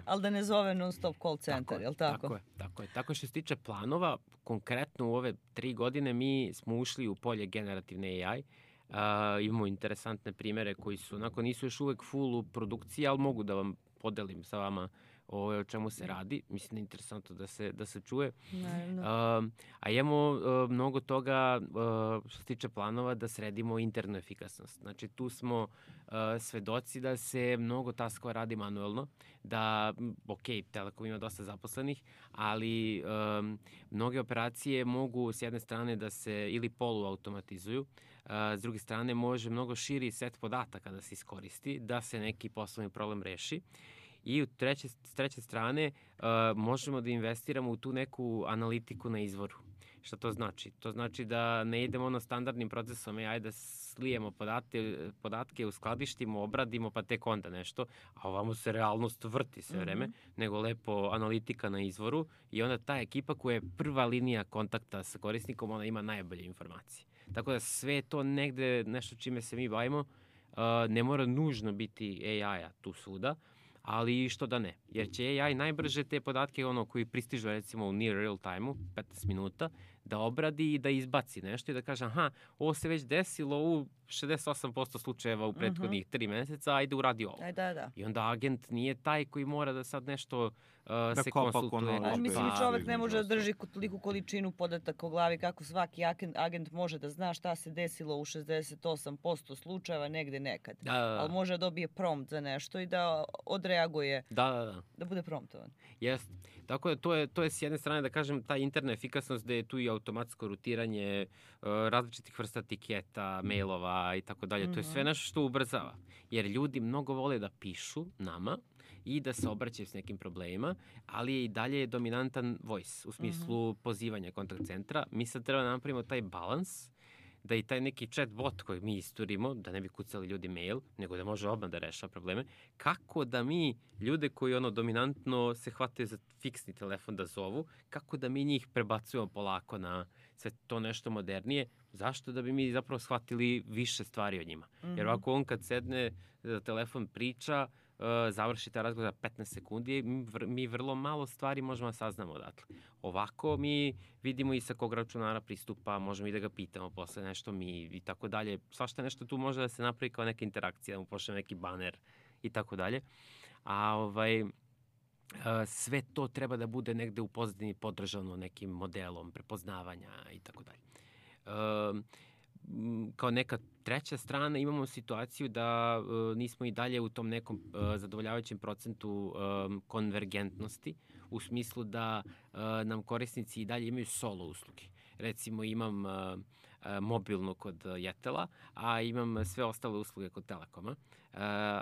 ali da ne zove non stop call center, jel tako? Tako je. Tako što se tiče planova, konkretno u ove 3 godine mi smo ušli u polje generativne AI. Imamo interesantne primere koji su, nisu još uvek full u produkciji, ali mogu da vam podelim sa vama o čemu se radi. Mislim da je interesantno da se čuje. A imamo mnogo toga što se tiče planova da sredimo internu efikasnost. Znači tu smo svedoci da se mnogo taskova radi manuelno, da, Telekom ima dosta zaposlenih, ali mnoge operacije mogu s jedne strane da se ili poluautomatizuju, s druge strane može mnogo širi set podataka da se iskoristi, da se neki poslovni problem reši. I s treće strane možemo da investiramo u tu neku analitiku na izvoru. Šta to znači? To znači da ne idemo standardnim procesom AI da slijemo podatke, uskladištimo, obradimo pa tek onda nešto, a ovamo se realnost vrti sve vreme, nego lepo analitika na izvoru i onda ta ekipa koja je prva linija kontakta sa korisnikom, ona ima najbolje informacije. Tako da sve je to negde nešto čime se mi bavimo, ne mora nužno biti AI-a tu svuda, ali što da ne, jer će AI najbrže te podatke koji pristižu recimo u near real time-u, 15 minuta, da obradi i da izbaci nešto i da kaže ovo se već desilo u 68% slučajeva u prethodnih 3 meseca, ajde uradi ovo. I onda agent nije taj koji mora da sad nešto se konsultuje. Mislim i čovek ne može da drži toliku količinu podataka u glavi kako svaki agent može da zna šta se desilo u 68% slučajeva negde nekad. Ali može da dobije prompt za nešto i da odreaguje, da bude promptovan. Jeste. Tako da to je s jedne strane da kažem ta interna efikasnost da je tu i automatsko rutiranje različitih vrsta tiketa, mailova i tako dalje. To je sve nešto što ubrzava. Jer ljudi mnogo vole da pišu nama i da se obraćaju s nekim problemima, ali je i dalje dominantan voice u smislu pozivanja kontakt centra. Mi sad treba napravimo taj balans da i taj neki chat bot koji mi isturimo, da ne bi kucali ljudi mail, nego da može odmah da rešava probleme, kako da mi ljude koji dominantno se hvataju za fiksni telefon da zovu, kako da mi njih prebacujemo polako na sve to nešto modernije, zašto? Da bi mi zapravo shvatili više stvari o njima. Jer ovako on kad sedne za telefon priča, završi taj razgovor za 15 sekundi, mi vrlo malo stvari možemo da saznamo odatle. Ovako mi vidimo i sa kog računara pristupa, možemo i da ga pitamo posle nešto mi i tako dalje. Svašta nešto tu može da se napravi kao neka interakcija, da mu pošle neki baner i tako dalje. A sve to treba da bude negde u pozadini podržano nekim modelom prepoznavanja i tako dalje. Kao neka treća strana imamo situaciju da nismo i dalje u tom nekom zadovoljavajućem procentu konvergentnosti, u smislu da nam korisnici i dalje imaju solo usluge. Recimo imam mobilnu kod Jetela, a imam sve ostale usluge kod Telekoma.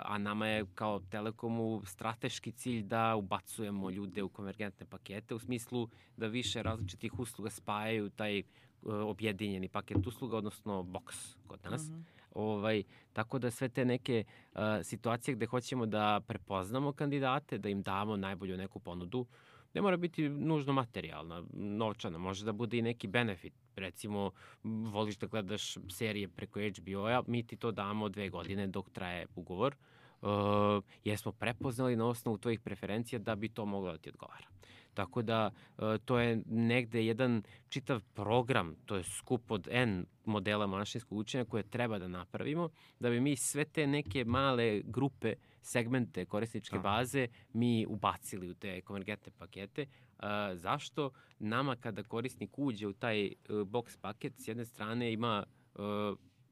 A nama je kao Telekomu strateški cilj da ubacujemo ljude u konvergentne pakete, u smislu da više različitih usluga spajaju taj objedinjeni paket usluga, odnosno box kod nas. Tako da sve te neke situacije gde hoćemo da prepoznamo kandidate, da im damo najbolju neku ponudu, ne mora biti nužno materijalna, novčana, može da bude i neki benefit. Recimo, voliš da gledaš serije preko HBO-a, mi ti to damo 2 godine dok traje ugovor, jer smo prepoznali na osnovu tvojih preferencija da bi to moglo da ti odgovara. Tako da to je negde jedan čitav program, to je skup od N modela mašinskog učenja koje treba da napravimo, da bi mi sve te neke male grupe, segmente korisničke baze mi ubacili u te konvergentne pakete. Zašto? Nama kada korisnik uđe u taj box paket, s jedne strane ima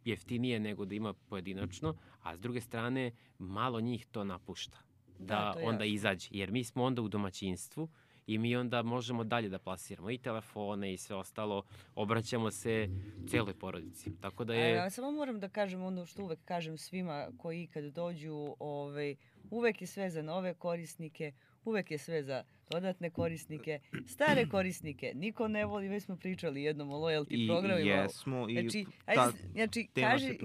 jeftinije nego da ima pojedinačno, a s druge strane malo njih to napušta. Da onda izađe. Jer mi smo onda u domaćinstvu i mi onda možemo dalje da plasiramo i telefone i sve ostalo, obraćamo se celoj porodici. Tako da je... Ja samo moram da kažem ono što uvek kažem svima koji ikad dođu, uvek je sve za nove korisnike, uvek je sve za dodatne korisnike, stare korisnike niko ne voli, već smo pričali jednom o loyalty programima. Jesmo.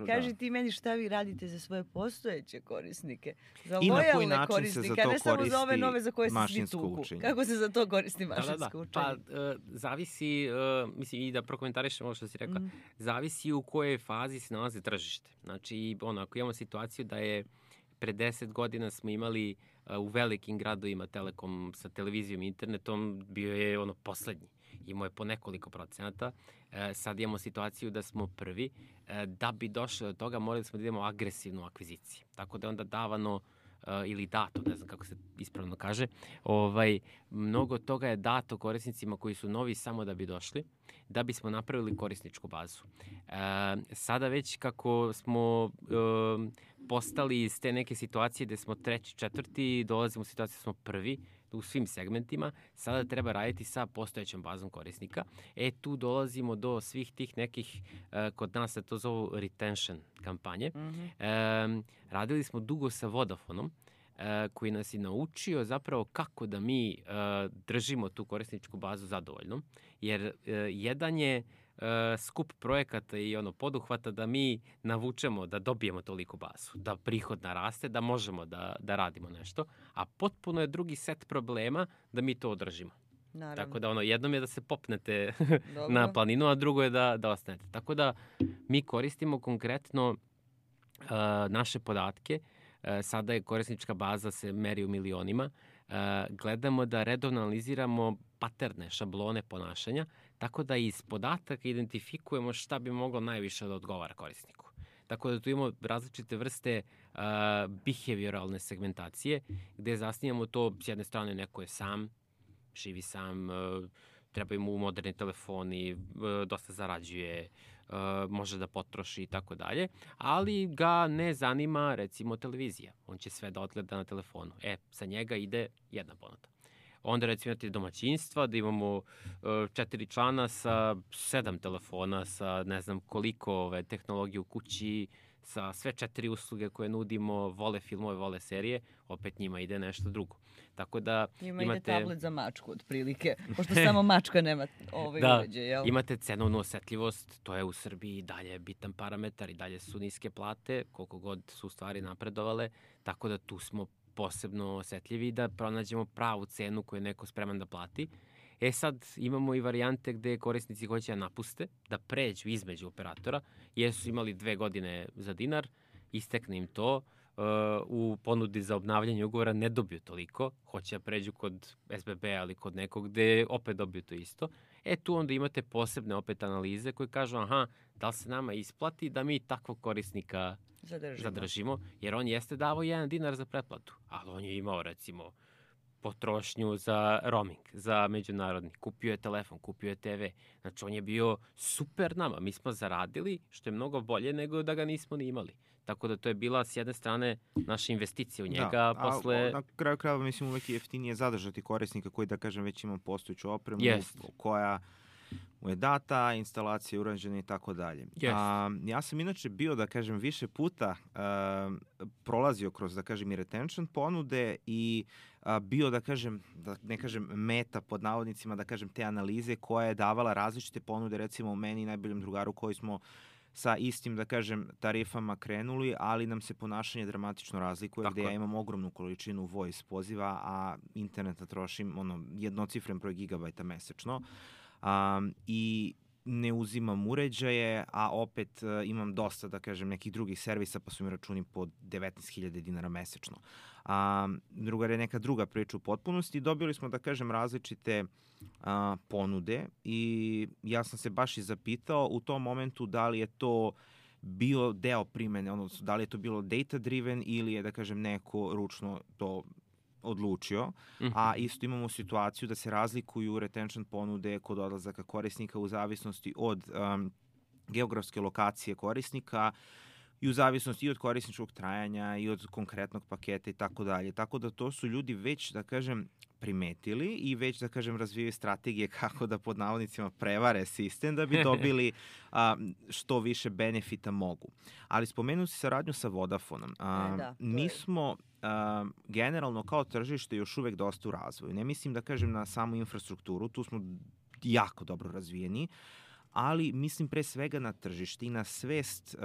Kaži ti meni šta vi radite za svoje postojeće korisnike, za i lojalne korisnike, ne samo za ove nove za koje se svi tuku. Učenje. Kako se za to koristi mašinsko učenje? Pa zavisi, mislim i da prokomentarišem ovo što si rekla, zavisi u kojoj fazi se nalazi tržište. Znači, ako imamo situaciju da je pre 10 godina smo imali u velikim gradovima Telekom sa televizijom i internetom, bio je poslednji. Imao je po nekoliko procenata. Sad imamo situaciju da smo prvi. Da bi došli do toga, morali smo da idemo agresivnu akviziciju. Tako da je onda davano ili dato, ne znam kako se ispravno kaže, mnogo toga je dato korisnicima koji su novi samo da bi došli, da bismo napravili korisničku bazu. Sada već kako smo postali iz te neke situacije gde smo treći, četvrti, dolazimo u situaciju da smo prvi u svim segmentima, sada treba raditi sa postojećom bazom korisnika. Tu dolazimo do svih tih nekih, kod nas se to zovu retention kampanje. Radili smo dugo sa Vodafonom, koji nas je naučio zapravo kako da mi držimo tu korisničku bazu zadovoljnom, jer jedan je skup projekata i poduhvata da mi navučemo da dobijemo toliko bazu, da prihod naraste, da možemo da radimo nešto, a potpuno je drugi set problema da mi to održimo. Naravno. Tako da jednom je da se popnete na planinu, a drugo je da ostanete. Tako da mi koristimo konkretno naše podatke. Sada je korisnička baza se meri u milionima. Gledamo da redovno analiziramo paterne, šablone ponašanja, tako da iz podataka identifikujemo šta bi moglo najviše da odgovara korisniku. Tako da tu imamo različite vrste behavioralne segmentacije, gde zasnijamo to, s jedne strane neko je sam, živi sam, treba mu moderni telefoni, dosta zarađuje, može da potroši i tako dalje, ali ga ne zanima recimo televizija. On će sve da odgleda na telefonu. Sa njega ide jedna ponuda. Onda recimo imate domaćinstva, da imamo 4 člana sa 7 telefona, sa ne znam koliko tehnologije u kući, sa sve 4 usluge koje nudimo, vole filmove, vole serije, opet njima ide nešto drugo. Tako da imate... ide tablet za mačku, otprilike, pošto samo mačka nema uređaj, jel? Imate cenovnu osetljivost, to je u Srbiji dalje bitan parametar i dalje su niske plate, koliko god su stvari napredovale, tako da tu smo posebno osetljivi da pronađemo pravu cenu koju je neko spreman da plati. Sad imamo i varijante gde korisnici hoće da napuste, da pređu između operatora, jer su imali 2 godine za dinar, istekne im to, u ponudi za obnavljanje ugovora ne dobiju toliko, hoće da pređu kod SBB ali kod nekog gde opet dobiju to isto. Tu onda imate posebne opet analize koje kažu da li se nama isplati da mi takvog korisnika zadržimo, jer on jeste davao 1 dinar za pretplatu, ali on je imao recimo potrošnju za roaming, za međunarodni. Kupio je telefon, kupio je TV. Znači, on je bio super nama. Mi smo zaradili, što je mnogo bolje nego da ga nismo ni imali. Tako da to je bila s jedne strane naša investicija u njega. Posle... Na kraju krajeva mislim uvek je jeftinije zadržati korisnika koji, da kažem, već ima postojeću opremu koja mu je data, instalacija urađena i tako dalje. Ja sam inače bio, da kažem, više puta prolazio kroz, da kažem, i retention ponude i bio, da kažem, da ne kažem meta pod navodnicima, da kažem, te analize koja je davala različite ponude, recimo u meni i najboljem drugaru koji smo sa istim, da kažem, tarifama krenuli, ali nam se ponašanje dramatično razlikuje, gde ja imam ogromnu količinu voice poziva, a interneta trošim jednocifren broj gigabajta mesečno. I ne uzimam uređaje, a opet imam dosta, da kažem, nekih drugih servisa, pa su mi računi po 19.000 dinara mesečno. Druga je neka druga priča u potpunosti. Dobili smo, da kažem, različite ponude i ja sam se baš i zapitao u tom momentu da li je to bio deo primene, odnosno da li je to bilo data driven ili je, da kažem, neko ručno to odlučio, a isto imamo situaciju da se razlikuju retention ponude kod odlazaka korisnika u zavisnosti od geografske lokacije korisnika i u zavisnosti i od korisničkog trajanja i od konkretnog paketa i tako dalje. Tako da to su ljudi već, da kažem, primetili i već, da kažem, razvijaju strategije kako da pod navodnicima prevare sistem da bi dobili što više benefita mogu. Ali spomenu si saradnju sa Vodafonom. Mi smo generalno kao tržište još uvek dosta u razvoju. Ne mislim da kažem na samu infrastrukturu, tu smo jako dobro razvijeni, ali mislim pre svega na tržište i na svest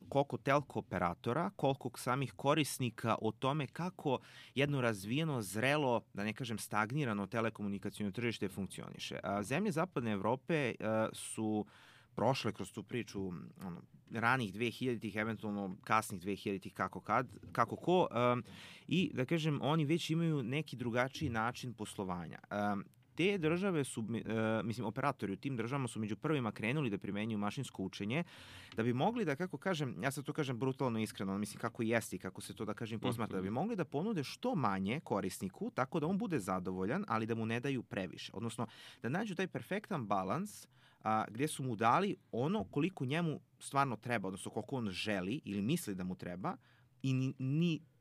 koliko telko operatora, koliko samih korisnika o tome kako jedno razvijeno, zrelo, da ne kažem stagnirano telekomunikacijno tržište funkcioniše. Zemlje Zapadne Evrope su prošle kroz tu priču ranih 2000-ih, eventualno kasnih 2000-ih, kako ko, i da kažem, oni već imaju neki drugačiji način poslovanja. Te države su, operatori u tim državama su među prvima krenuli da primenjuju mašinsko učenje, da bi mogli da, kako kažem, ja sad to kažem brutalno iskreno, mislim kako jeste i kako se to, da kažem, posmatra, da bi mogli da ponude što manje korisniku, tako da on bude zadovoljan, ali da mu ne daju previše. Odnosno, da nađu taj perfektan balans gdje su mu dali ono koliko njemu stvarno treba, odnosno koliko on želi ili misli da mu treba i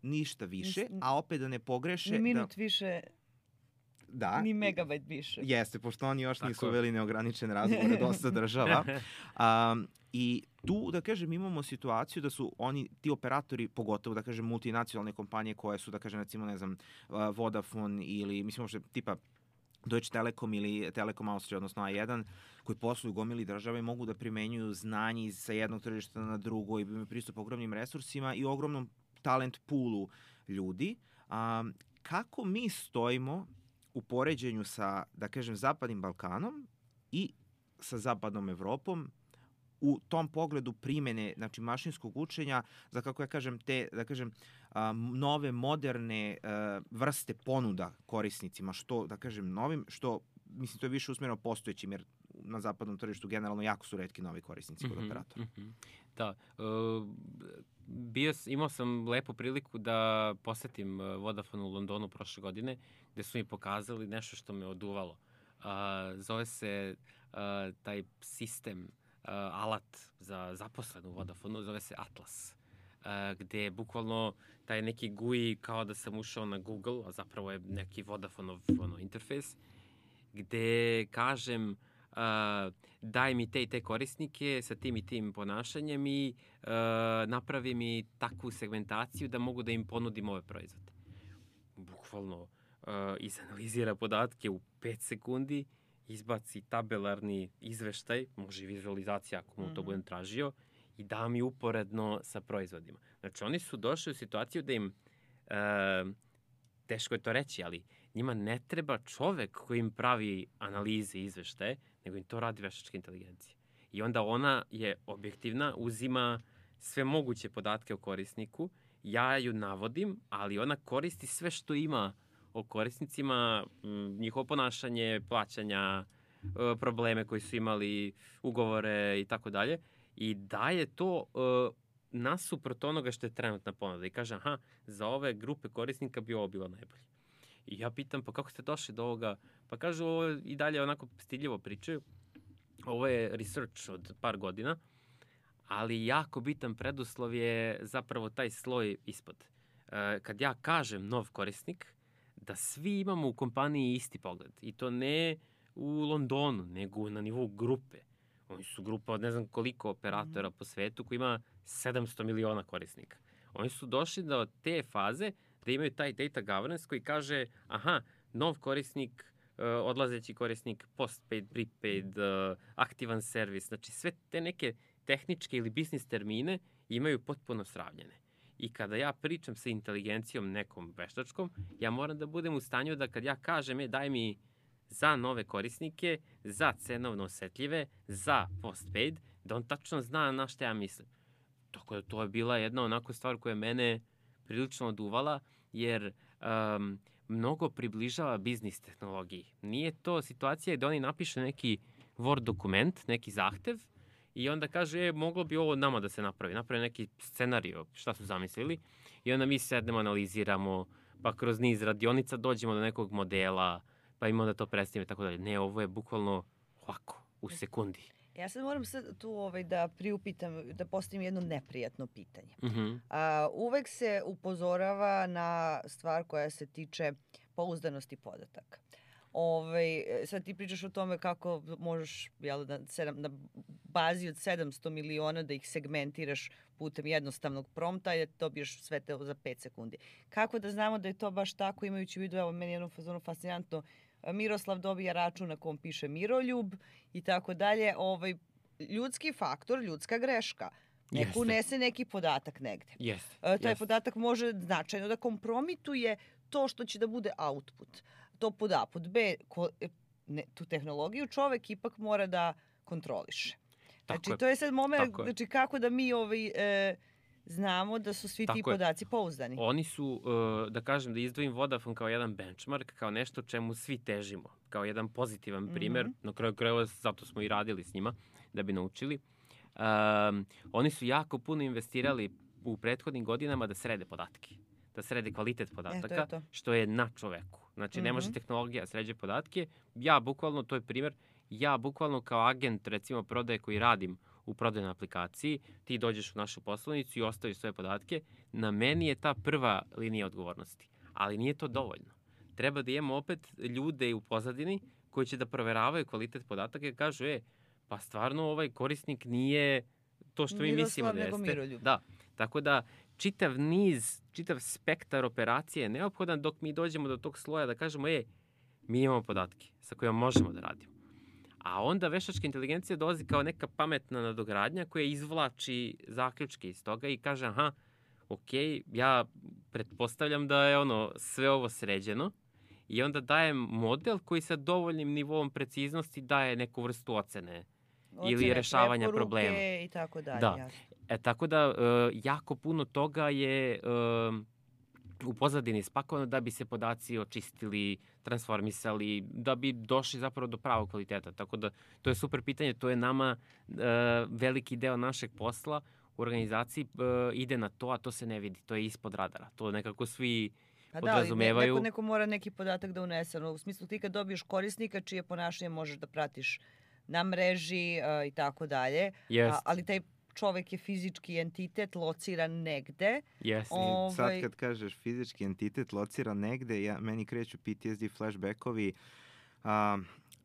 ništa više, a opet da ne pogreše. Ni minut više. Da. Ni megabajt više. Jeste, pošto oni još nisu uveli neograničene razgovore dosta država. I tu, da kažem, imamo situaciju da su ti operatori, pogotovo, da kažem, multinacionalne kompanije koje su, da kažem, recimo, ne znam, Vodafone ili, mislim, možda tipa Deutsche Telekom ili Telekom Austrija, odnosno A1, koji posluju gomili države i mogu da primenjuju znanje sa jednog tržišta na drugo i imaju pristup ogromnim resursima i ogromnom talent poolu ljudi. Kako mi stojimo u poređenju sa, da kažem, Zapadnim Balkanom i sa Zapadnom Evropom u tom pogledu primene, znači, mašinskog učenja za, kako ja kažem, te, da kažem, nove, moderne vrste ponuda korisnicima, što, da kažem, novim, što, mislim, to je više usmjereno postojećim, jer na zapadnom tržištu generalno jako su retki novi korisnici kod operatora. Da, imao sam lepu priliku da posetim Vodafone u Londonu prošle godine, gde su mi pokazali nešto što me oduvalo. Zove se taj sistem, alat za zaposlenu u Vodafonu, zove se Atlas, gde je bukvalno taj neki GUI kao da sam ušao na Google, a zapravo je neki Vodafonov interfejs, gde kažem daj mi te i te korisnike sa tim i tim ponašanjem i napravi mi takvu segmentaciju da mogu da im ponudim ove proizvode. Bukvalno izanalizira podatke u 5 sekundi, izbaci tabelarni izveštaj, može i vizualizacija ako mu to budem tražio, i da mi uporedno sa proizvodima. Znači, oni su došli u situaciju da im, teško je to reći, ali njima ne treba čovek koji im pravi analize i izveštaje, nego im to radi veštačka inteligencija. I onda ona je objektivna, uzima sve moguće podatke o korisniku, ja ju navodim, ali ona koristi sve što ima o korisnicima, njihovo ponašanje, plaćanja, probleme koji su imali, ugovore i tako dalje, i daje to nasuprot onoga što je trenutna ponuda. I kaže, za ove grupe korisnika bi ovo bilo najbolje. I ja pitam, pa kako ste došli do ovoga? Pa kažu, ovo i dalje onako stiljivo pričaju. Ovo je research od par godina, ali jako bitan preduslov je zapravo taj sloj ispod. Kad ja kažem nov korisnik, da svi imamo u kompaniji isti pogled. I to ne u Londonu, nego na nivou grupe. Oni su grupa od ne znam koliko operatora po svetu koji ima 700 miliona korisnika. Oni su došli do te faze da imaju taj data governance koji kaže, nov korisnik, odlazeći korisnik, postpaid, prepaid, aktivan servis. Znači, sve te neke tehničke ili biznis termine imaju potpuno sravnjene. I kada ja pričam sa inteligencijom nekom veštačkom, ja moram da budem u stanju da kad ja kažem, daj mi za nove korisnike, za cenovno osetljive, za postpaid, da on tačno zna na šta ja mislim. Tako da to je bila jedna onako stvar koja mene prilično oduvala, jer mnogo približava biznis tehnologiji. Nije to situacija da oni napišu neki Word dokument, neki zahtev, i onda kaže, moglo bi ovo nama da se napravi. Napravi neki scenario, šta su zamislili, i onda mi sednemo, analiziramo, pa kroz niz radionica dođemo do nekog modela, pa im onda to predstavimo i tako dalje. Ne, ovo je bukvalno ovako, u sekundi. Ja sad moram tu da priupitam, da postavim jedno neprijatno pitanje. Uvek se upozorava na stvar koja se tiče pouzdanosti podataka. Sad ti pričaš o tome kako možeš na bazi od 700 miliona da ih segmentiraš putem jednostavnog prompta i da dobiješ sve te za 5 sekundi. Kako da znamo da je to baš tako, imajući u vidu, evo meni je jedno fazonu fascinantno, Miroslav dobija račun na kom piše Miroljub i tako dalje. Ljudski faktor, ljudska greška. Neko unese neki podatak negde. Taj podatak može značajno da kompromituje to što će da bude output. To pod A. Pod B, tu tehnologiju čovek ipak mora da kontroliše. Znači, to je sad moment, znači kako da mi znamo da su svi ti podaci pouzdani. Oni su, da kažem, da izdvojim Vodafone kao jedan benchmark, kao nešto čemu svi težimo, kao jedan pozitivan primer. Na kraju krajeva, zato smo i radili s njima, da bi naučili. Oni su jako puno investirali u prethodnim godinama da srede podatke, da srede kvalitet podataka, što je na čoveku. Znači, ne može tehnologija sređe podatke. To je primer, ja bukvalno kao agent, recimo, prodaje koji radim u prodajnoj aplikaciji, ti dođeš u našu poslovnicu i ostaviš svoje podatke, na meni je ta prva linija odgovornosti. Ali nije to dovoljno. Treba da imamo opet ljude u pozadini koji će da proveravaju kvalitet podataka i kažu, pa stvarno ovaj korisnik nije to što mi mislimo da jeste. Da, tako da čitav spektar operacije je neophodan dok mi dođemo do tog sloja da kažemo, mi imamo podatke sa kojima možemo da radimo. A onda veštačka inteligencija dolazi kao neka pametna nadogradnja koja izvlači zaključke iz toga i kaže, ja pretpostavljam da je sve ovo sređeno i onda daje model koji sa dovoljnim nivom preciznosti daje neku vrstu ocene ili rešavanja problema. I tako dalje. Da. Tako da jako puno toga je u pozadini spakovano da bi se podaci očistili, transformisali, da bi došli zapravo do pravog kvaliteta. Tako da to je super pitanje, to je nama veliki deo našeg posla u organizaciji ide na to, a to se ne vidi, to je ispod radara. To nekako svi podrazumevaju. Neko mora neki podatak da unese. U smislu ti kad dobiješ korisnika čije ponašanje možeš da pratiš na mreži i tako dalje, ali taj čovek je fizički entitet lociran negde. Sad kad kažeš fizički entitet lociran negde, meni kreću PTSD flashbackovi.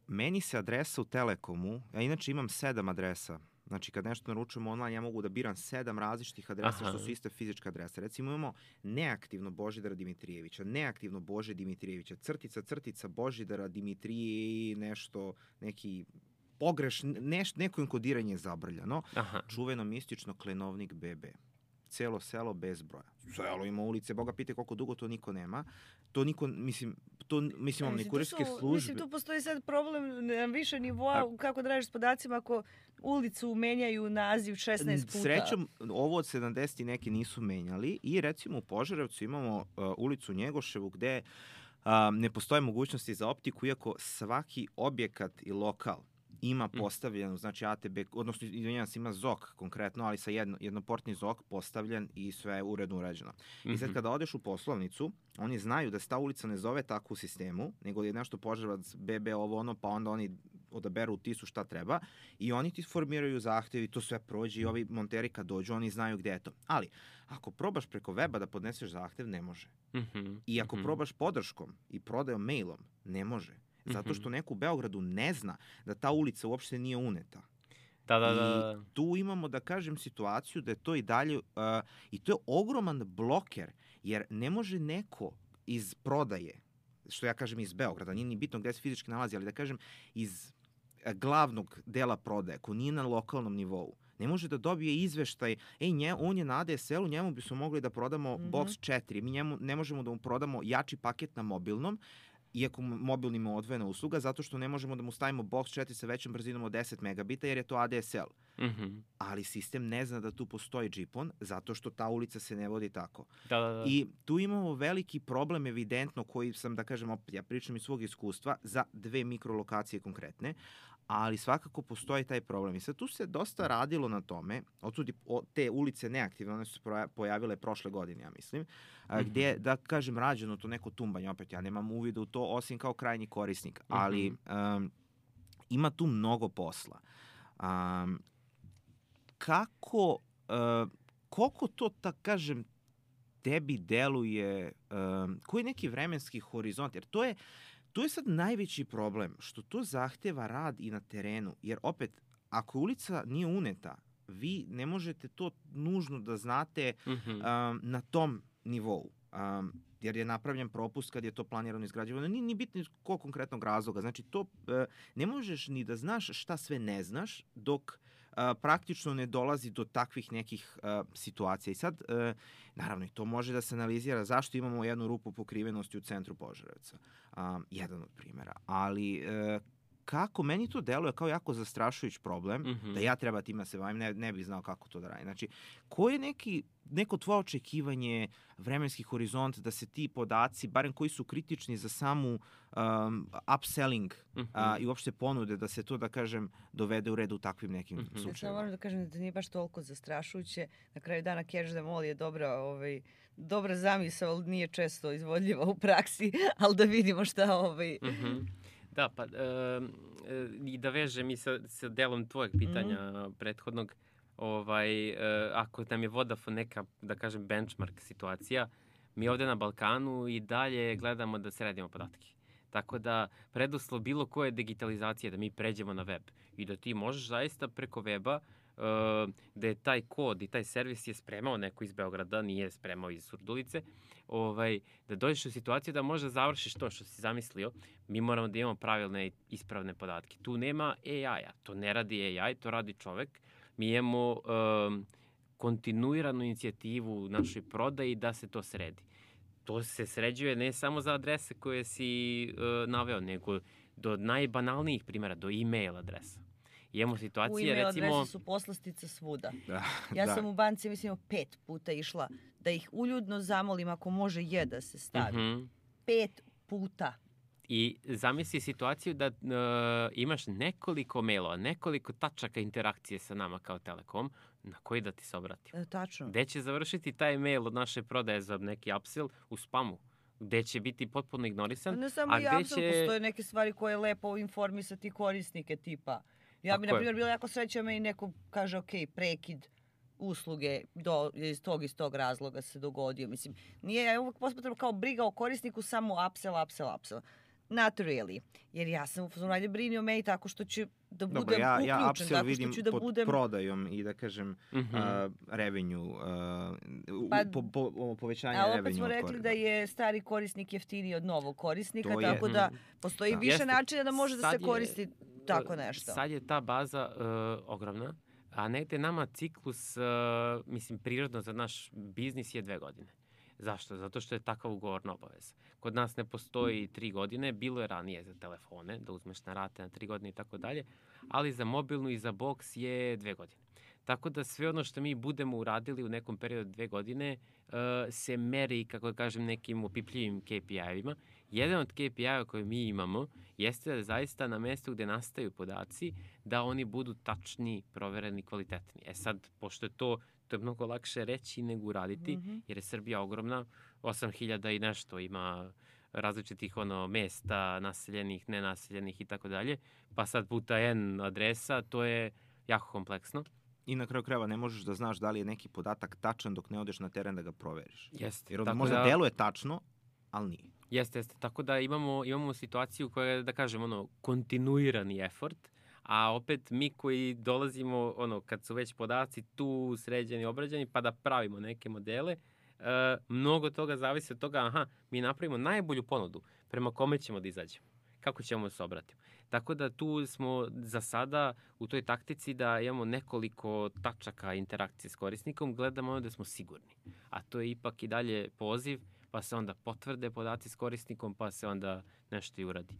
Meni se adresa u Telekomu, ja inače imam 7 adresa. Znači kad nešto naručujem online, ja mogu da biram 7 različitih adresa što su iste fizičke adrese. Recimo imamo neaktivno Božidara Dimitrijevića, neaktivno Bože Dimitrijevića, crtica Božidara Dimitrije, neki neko inkodiranje je zabrljano. Čuveno mistično Klenovnik BB. Celo selo bez broja. Selo ima ulice, Boga pite koliko dugo to niko nema. To niko, mislim, imamo ni kurirske službe. Mislim, tu postoji sad problem na više nivoa, kako da radiš s podacima ako ulicu menjaju naziv 16 puta. Srećom, ovo od 70 neki nisu menjali i recimo u Požarevcu imamo ulicu Njegoševu gde ne postoje mogućnosti za optiku, iako svaki objekat i lokal ima postavljen, znači ATB, odnosno ima ZOK konkretno, ali sa jednoportni ZOK postavljen i sve je uredno uređeno. I sad kada odeš u poslovnicu, oni znaju da se ta ulica ne zove tako u sistemu, nego je nešto Požarevac, BB, ovo ono, pa onda oni odaberu u TIS-u šta treba i oni ti formiraju zahtev i to sve prođe i ovi monteri kad dođu, oni znaju gde je to. Ali, ako probaš preko weba da podneseš zahtev, ne može. I ako probaš podrškom i prodajom mailom, ne može. Zato što neko u Beogradu ne zna da ta ulica uopšte nije uneta. I tu imamo, da kažem, situaciju da je to i dalje, i to je ogroman bloker, jer ne može neko iz prodaje, što ja kažem iz Beograda, nije ni bitno gde se fizički nalazi, ali da kažem iz glavnog dela prodaje, ko nije na lokalnom nivou, ne može da dobije izveštaj, on je na ADSL-u, njemu bismo mogli da prodamo Box 4, mi njemu ne možemo da mu prodamo jači paket na mobilnom, iako mobilni ima odvojena usluga, zato što ne možemo da mu stavimo Box 4 sa većom brzinom od 10 megabita, jer je to ADSL. Ali sistem ne zna da tu postoji GPON, zato što ta ulica se ne vodi tako. I tu imamo veliki problem, evidentno, koji sam, da kažem, opet, ja pričam iz svog iskustva, za 2 mikrolokacije konkretne, ali svakako postoji taj problem. I sad tu se dosta radilo na tome, odsudi te ulice neaktivne, one su se pojavile prošle godine, ja mislim, gdje, da kažem, rađeno to neko tumbanje, opet ja nemam uvida u to, osim kao krajnji korisnik, ali ima tu mnogo posla. Kako, koliko to, tako kažem, tebi deluje, koji je neki vremenski horizont, jer to je sad najveći problem, što to zahteva rad i na terenu, jer opet, ako ulica nije uneta, vi ne možete to nužno da znate na tom nivou. Jer je napravljen propust kad je to planirano izgrađivano. Nije ni bitno iz kog konkretnog razloga. Znači, to ne možeš ni da znaš šta sve ne znaš dok praktično ne dolazi do takvih nekih situacija. I sad, naravno, i to može da se analizira zašto imamo jednu rupu pokrivenosti u centru Požarevca. Jedan od primjera. Ali kako meni to deluje kao jako zastrašujući problem, da ja treba tima se bavim, ne bih znao kako to da radim. Znači, ko je neko tvoje očekivanje, vremenski horizont, da se ti podaci, barem koji su kritični za samu upselling i uopšte ponude, da se to, da kažem, dovede u red u takvim nekim slučajima? Ja samo moram da kažem da nije baš toliko zastrašujuće. Na kraju dana Catch them all je dobra zamisao, ali nije često izvodljiva u praksi, ali da vidimo šta Da, pa i da vežem i sa delom tvojeg pitanja prethodnog, ako nam je Vodafone neka, da kažem, benchmark situacija, mi ovde na Balkanu i dalje gledamo da sredimo podatke. Tako da preduslov bilo koje digitalizacije da mi pređemo na web i da ti možeš zaista preko weba da je taj kod i taj servis je spremao neko iz Beograda, nije spremao iz Surdulice, da dođeš u situaciju da možda završiš to što si zamislio. Mi moramo da imamo pravilne i ispravne podatke. Tu nema AI-a, to ne radi AI, to radi čovek. Mi imamo kontinuiranu inicijativu u našoj prodaji da se to sredi. To se sređuje ne samo za adrese koje si naveo, nego do najbanalnijih primjera, do e-mail adresa. Imamo situacije, recimo... U e-mail adrese su poslastice svuda. Ja sam u banci, mislim, 5 puta išla da ih uljudno zamolim ako može da se stavi. 5 puta. I zamisli situaciju da imaš nekoliko mailova, nekoliko tačaka interakcije sa nama kao Telekom, na koji da ti se obratim. Tačno. Gde će završiti taj mail od naše prodaje za neki upsell? U spamu. Gde će biti potpuno ignorisan. Ne samo i upsell, postoje neke stvari koje je lepo informisati korisnike tipa. Ja bi, na primjer, bila jako srećena i neko kaže, ok, prekid usluge iz tog razloga se dogodio. Mislim, nije uvijek posmatram kao briga o korisniku samo upsell. Not really. Jer ja sam u fazonu brini o meni tako što ću da budem uključen. Ja upsell vidim pod budem... prodajom i da kažem revenue, povećanje revenue. A opet smo rekli da je stari korisnik jeftiniji od novog korisnika, tako da postoji više načina da može da se koristi tako nešto. Sad je ta baza ogromna, a negde nama ciklus, prirodno za naš biznis je 2 godine. Zašto? Zato što je takav ugovorna obaveza. Kod nas ne postoji 3 godine, bilo je ranije za telefone, da uzmeš na rate na 3 godine i tako dalje, ali za mobilnu i za boks je 2 godine. Tako da sve ono što mi budemo uradili u nekom periodu 2 godine se meri, kako da kažem, nekim opipljivim KPI-evima. Jedan od KPI-eva koje mi imamo jeste da zaista na mestu gde nastaju podaci, da oni budu tačni, provereni, kvalitetni. Sad, pošto je to je mnogo lakše reći nego uraditi, jer je Srbija ogromna, 8.000 i nešto ima različitih mesta, naseljenih, nenaseljenih i tako dalje, pa sad puta N adresa, to je jako kompleksno. I na kraju krajeva ne možeš da znaš da li je neki podatak tačan dok ne odeš na teren da ga proveriš. Jeste. Jer možda deluje tačno, ali nije. Jeste. Tako da imamo situaciju koja je, da kažem, kontinuirani effort, a opet mi koji dolazimo, kad su već podaci tu sređeni, obrađeni, pa da pravimo neke modele, mnogo toga zavisi od toga, mi napravimo najbolju ponudu prema kome ćemo da izađemo, kako ćemo se obratiti. Tako da tu smo za sada u toj taktici da imamo nekoliko tačaka interakcije s korisnikom, gledamo da smo sigurni. A to je ipak i dalje poziv, pa se onda potvrde podaci s korisnikom, pa se onda nešto i uradi.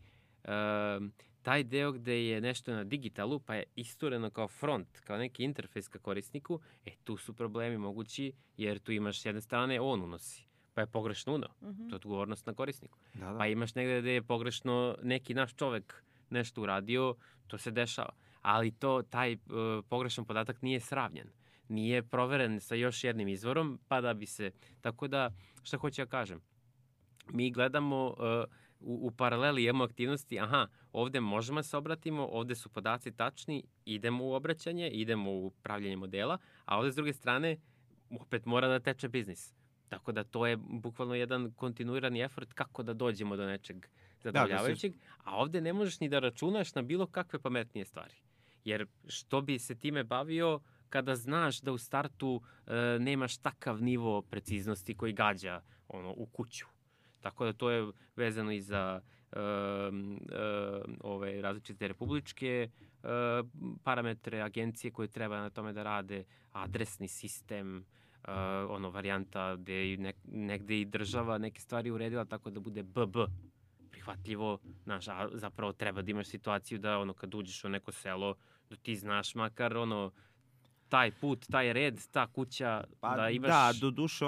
Taj deo gde je nešto na digitalu, pa je istureno kao front, kao neki interfejs ka korisniku, tu su problemi mogući, jer tu imaš s jedne strane on unosi, pa je pogrešno unao. To je odgovornost na korisniku. Da. Pa imaš negde gde je pogrešno neki naš čovek nešto uradio, to se dešava. Ali taj pogrešan podatak nije sravnjen. Nije proveren sa još jednim izvorom, pa da bi se... Tako da, šta hoću ja kažem? Mi gledamo u paraleli imamo aktivnosti, ovde možemo se obratimo, ovde su podaci tačni, idemo u obraćanje, idemo u pravljenje modela, a ovde s druge strane opet mora da teče biznis. Tako da to je bukvalno jedan kontinuirani efort kako da dođemo do nečeg zadovoljavajućeg, a ovde ne možeš ni da računaš na bilo kakve pametnije stvari. Jer što bi se time bavio kada znaš da u startu nemaš takav nivo preciznosti koji gađa u kuću. Tako da to je vezano i za ove različite republičke parametre, agencije koje treba na tome da rade, adresni sistem, varijanta gde je negde i država neke stvari uredila tako da bude BB prihvatljivo, znaš, a zapravo treba da imaš situaciju da kad uđeš u neko selo, da ti znaš makar taj put, taj red, ta kuća, da imaš... Da, doduše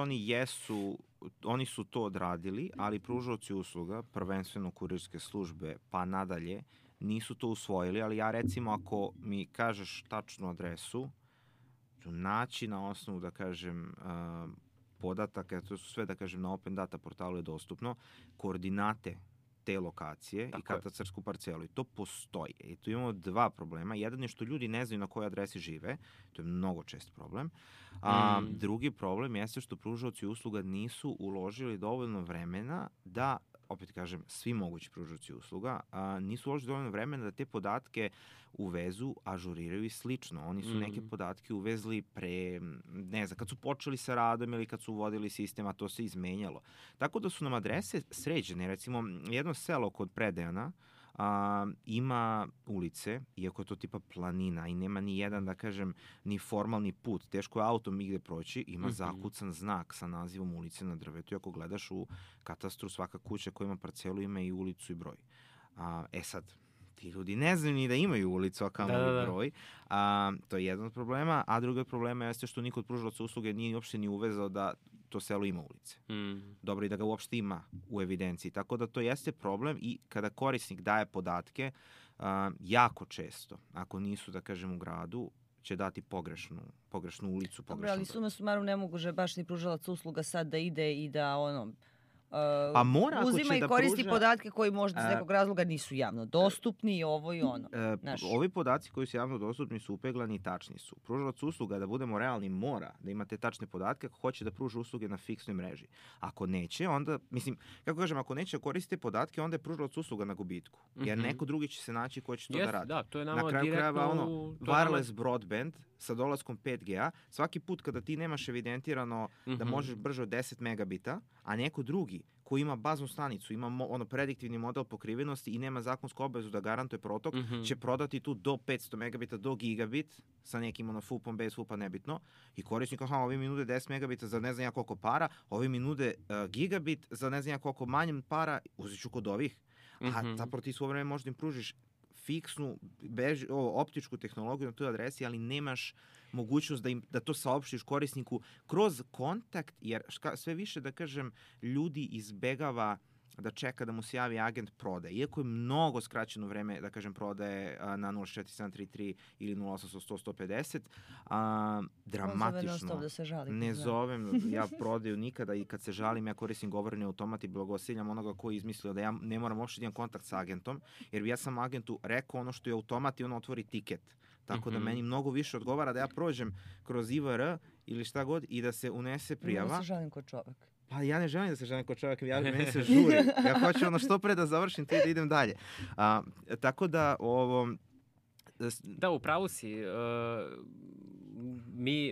oni su to odradili, ali pružaoci usluga, prvenstveno kurirske službe, pa nadalje, nisu to usvojili, ali ja recimo ako mi kažeš tačnu adresu, ću naći na osnovu, da kažem, podataka, to su sve, da kažem, na Open Data portalu je dostupno, koordinate te lokacije i katastarsku parcelu. I to postoji. I tu imamo dva problema. Jedan je što ljudi ne znaju na kojoj adresi žive. To je mnogo čest problem. Drugi problem jeste što pružaoci usluga nisu uložili dovoljno vremena da, opet kažem, svi mogući pružaoci usluga, nisu uložili dovoljno vremena da te podatke uvezu, ažuriraju i slično. Oni su neke podatke uvezli pre, ne znam, kad su počeli sa radom ili kad su uvodili sistem, a to se izmenjalo. Tako da su nam adrese sređene. Recimo, jedno selo kod Predejana ima ulice, iako je to tipa planina i nema ni jedan, da kažem, ni formalni put. Teško je autom igde proći, ima zakucan znak sa nazivom ulice na drvetu. I ako gledaš u katastru, svaka kuća koja ima parcelu ima i ulicu i broj. Sad, ti ljudi ne znaju ni da imaju ulicu, a kamoli broj. To je jedan od problema, a drugi od problema jeste što niko od pružalaca usluge nije uopšte ni uvezao da to selo ima ulice. Dobro i da ga uopšte ima u evidenciji. Tako da to jeste problem i kada korisnik daje podatke, jako često, ako nisu, da kažem, u gradu, će dati pogrešnu ulicu. Dobro, ali suma sumarum ne može baš ni pružalac usluga sad da ide i da pa mora, uzima i koristi podatke koji možda iz nekog razloga nisu javno dostupni i ovo i ono. Ovi podaci koji su javno dostupni su upeglani i tačni su. Pružalac usluga, da budemo realni, mora da ima te tačne podatke ako hoće da pruža usluge na fiksnoj mreži. Ako neće, onda, kako kažem, ako neće koristiti podatke, onda je pružalac usluga na gubitku. Jer neko drugi će se naći ko će to da radi. Da, to je nama na kraju krajeva wireless broadband sa dolaskom 5G-a, svaki put kada ti nemaš evidentirano da možeš brže od 10 megabita, a neko drugi koji ima baznu stanicu, ima prediktivni model pokrivenosti i nema zakonsku obavezu da garantuje protok, će prodati tu do 500 megabita, do gigabit, sa nekim FUP-om, bez FUP-a, nebitno. I korisnik, ovi mi nude 10 megabita za ne znam ja koliko para, ovi mi nude gigabit za ne znam ja koliko manjem para, uzet ću kod ovih. A zapravo ti svo vreme možda im pružiš fiksnu, optičku tehnologiju na toj adresi, ali nemaš mogućnost da to saopštiš korisniku kroz kontakt, jer sve više, da kažem, ljudi izbegava da čeka da mu se javi agent prodaje. Iako je mnogo skraćeno vreme, da kažem, prodaje na 04733 ili 08800-150, dramatično. Ne zovem ja prodaju nikada i kad se žalim, ja koristim govorni automat i blagosiljam onoga koji je izmislio da ja ne moram uopšte da imam kontakt sa agentom, jer ja sam agentu rekao ono što je automat i on otvori tiket. Tako da meni mnogo više odgovara da ja prođem kroz IVR ili šta god i da se unese prijava. Ja se žalim kod čovek. Pa ja ne želim da se želim kod čovjeka, meni se žuri. Ja hoću što pre da završim to i da idem dalje. Tako da ovo... Da, upravo si.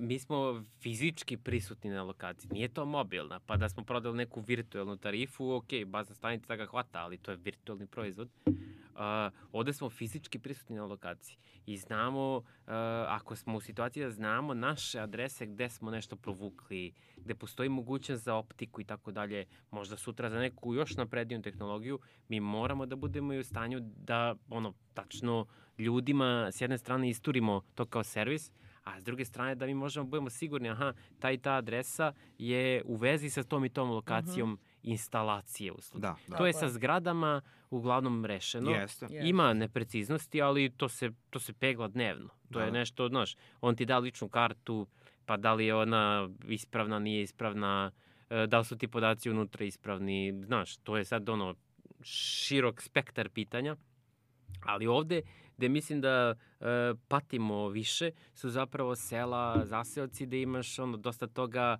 Mi smo fizički prisutni na lokaciji. Nije to mobilna. Pa da smo prodali neku virtualnu tarifu, ok, bazna stanica ga hvata, ali to je virtualni proizvod. Ovde smo fizički prisutni na lokaciji i znamo, ako smo u situaciji da znamo naše adrese gde smo nešto provukli, gde postoji mogućnost za optiku i tako dalje, možda sutra za neku još napredniju tehnologiju, mi moramo da budemo i u stanju da tačno ljudima s jedne strane isturimo to kao servis, a s druge strane da mi možemo budemo sigurni, ta i ta adresa je u vezi sa tom i tom lokacijom instalacije usluge. To je sa zgradama uglavnom rešeno. Ima nepreciznosti, ali to se pegla dnevno. To je nešto, on ti da ličnu kartu, pa da li je ona ispravna, nije ispravna, da li su ti podaci unutra ispravni, to je sad širok spektar pitanja, ali ovde gde mislim da patimo više su zapravo sela, zaseoci, gde imaš dosta toga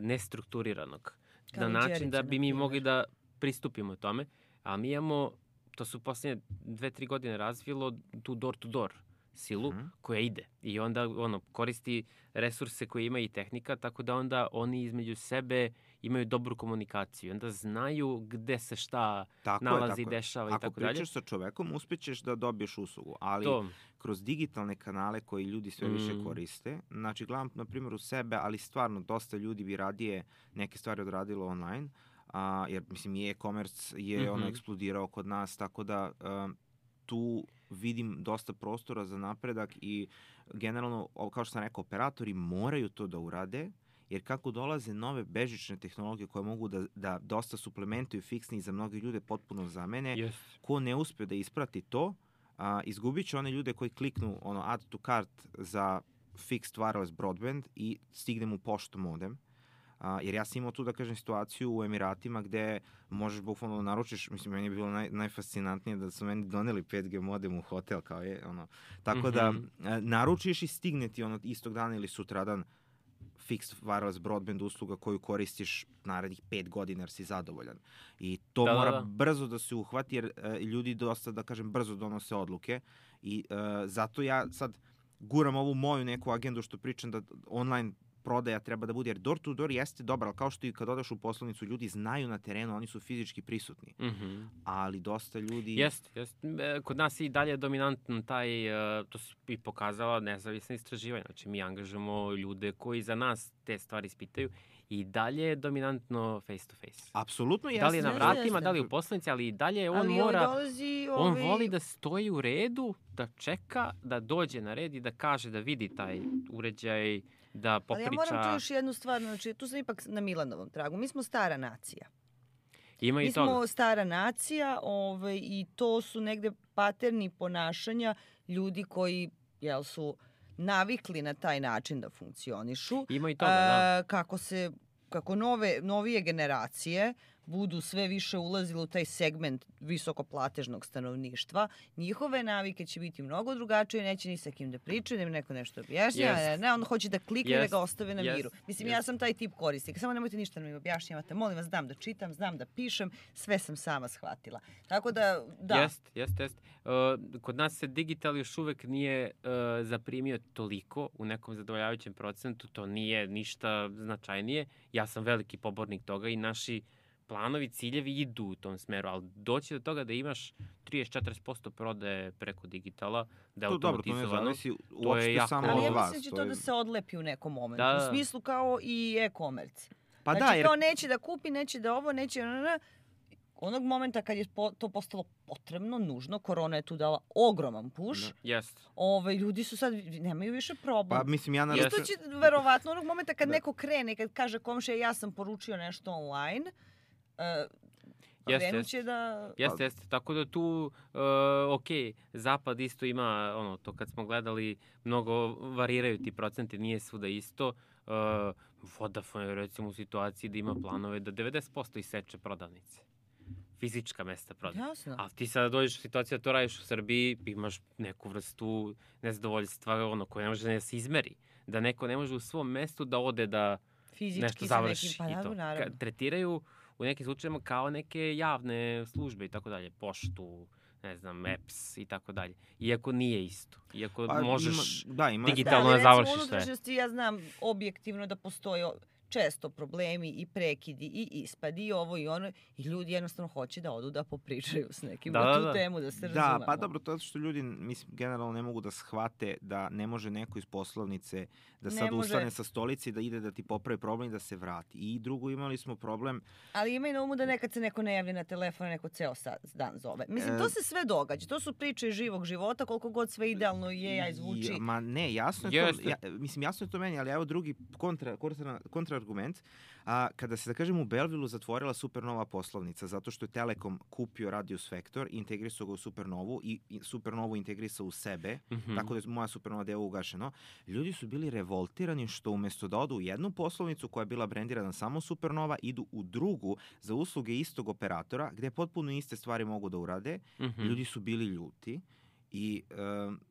nestrukturiranog. Na način da bi mi mogli da pristupimo tome, a mi imamo, to su posljednje 2-3 godine razvilo tu door-to-door silu koja ide i onda koristi resurse koje ima i tehnika, tako da onda oni između sebe imaju dobru komunikaciju. Onda znaju gde se šta nalazi, dešava i tako dalje. Ako pričaš sa čovekom, uspećeš da dobiješ uslugu, ali kroz digitalne kanale koji ljudi sve više koriste, znači gledam na primjer u sebe, ali stvarno dosta ljudi bi radije neke stvari odradilo online, jer mislim i e-commerce je eksplodirao kod nas, tako da tu vidim dosta prostora za napredak i generalno, kao što sam rekao, operatori moraju to da urade, jer kako dolaze nove bežične tehnologije koje mogu da dosta suplementuju fiksni i za mnogi ljude potpuno zamene, ko ne uspe da isprati to, izgubit će one ljude koji kliknu add to cart za fixed wireless broadband i stigne mu pošto modem. Jer ja sam imao tu, da kažem, situaciju u Emiratima gde možeš bukvalno naručiš, mislim, meni je bilo najfascinantnije da su meni doneli 5G modem u hotel, kao je, tako da naručiš i stigne ti istog dana ili sutradan fixed wireless broadband usluga koju koristiš narednih 5 godina jer si zadovoljan. I to mora brzo da se uhvati jer ljudi dosta, da kažem, brzo donose odluke i zato ja sad guram ovu moju neku agendu što pričam da online prodaja treba da bude, jer door to door jeste dobar, ali kao što i kad odeš u poslovnicu, ljudi znaju na terenu, oni su fizički prisutni. Ali dosta ljudi... Jeste. Kod nas je i dalje dominantan taj, to se i pokazala nezavisna istraživanja. Znači, mi angažujemo ljude koji za nas te stvari ispitaju i dalje je dominantno face to face. Apsolutno jeste. Da li je na vratima, da li je u poslovnici, ali i dalje on mora... On voli da stoji u redu, da čeka, da dođe na red i da kaže, da vidi taj uređaj, da popriča... Ali ja moram tu još jednu stvar, znači tu sam ipak na Milanovom tragu. Mi smo stara nacija. Ima i toga. Mi smo stara nacija i to su negde paterni ponašanja ljudi koji su navikli na taj način da funkcionišu. Ima i toga, da. Kako novije generacije budu sve više ulazile u taj segment visokoplatežnog stanovništva, njihove navike će biti mnogo drugačije, neće ni sa kim da pričaju, da im neko nešto objašnjava, ne, on hoće da klikne da ga ostave na miru. Mislim, ja sam taj tip korisnika, samo nemojte ništa da mi objašnjavate, molim vas, znam da čitam, znam da pišem, sve sam sama shvatila. Tako da, da. Jeste. Kod nas se digital još uvek nije zaprimio toliko u nekom zadovoljavajućem procentu, to nije ništa značajnije. Ja sam veliki pobornik toga i naši planovi, ciljevi idu u tom smeru, ali doći do toga da imaš 30-40% prodaje preko digitala, da je automatizovano, to je jako... Ali ja mislim da će to da se odlepi u nekom momentu, u smislu kao i e-commerce. Pa znači kao neće da kupi, neće da ovo, neće... Onog momenta kad je to postalo potrebno, nužno, korona je tu dala ogroman push, ljudi su sad, nemaju više problem. Pa mislim, isto će, verovatno, onog momenta kad neko krene, kad kaže komšija ja sam poručio nešto online, krenuće da... Jeste. Tako da tu, Zapad isto ima, to kad smo gledali, mnogo variraju ti procenti, nije svuda isto. Vodafone je recimo u situaciji da ima planove da 90% iseče prodavnice. Fizička mesta prodaje. Jasno. Ali ti sada dođeš u situaciju da to radiš u Srbiji, imaš neku vrstu nezadovoljstva koje ne može da se izmeri. Da neko ne može u svom mestu da ode da fizički nešto završi. Tretiraju u nekim slučajima kao neke javne službe i tako dalje. Poštu, ne znam, EPS i tako dalje. Iako nije isto. Iako možeš digitalno da završiš sve. U unutrašnjosti ja znam objektivno da postoji često problemi i prekidi i ispadi i ovo i ono i ljudi jednostavno hoće da odu da popričaju s nekim na tu temu, da se razumemo. Da, pa dobro, to je što ljudi mislim, generalno ne mogu da shvate da ne može neko iz poslovnice da sad ustane sa stolice i da ide da ti popravi problem i da se vrati. I drugo, imali smo problem... Ali imaj na umu da nekad se neko ne javlja na telefon, neko ceo dan zove. Mislim, to se sve događa. To su priče iz živog života, koliko god sve idealno je, zvuči. Ma ne, jasno je to, mislim, jasno je to meni, ali evo drugi kontra argument. Kada se, da kažem, u Belleville zatvorila Supernova poslovnica, zato što je Telekom kupio Radius Vector i integrisao ga u Supernovu i Supernovu integrisao u sebe, tako da je moja Supernova deo ugašeno, ljudi su bili revoltirani što umesto da odu u jednu poslovnicu koja je bila brendirana samo Supernova, idu u drugu za usluge istog operatora, gde potpuno iste stvari mogu da urade. Ljudi su bili ljuti. I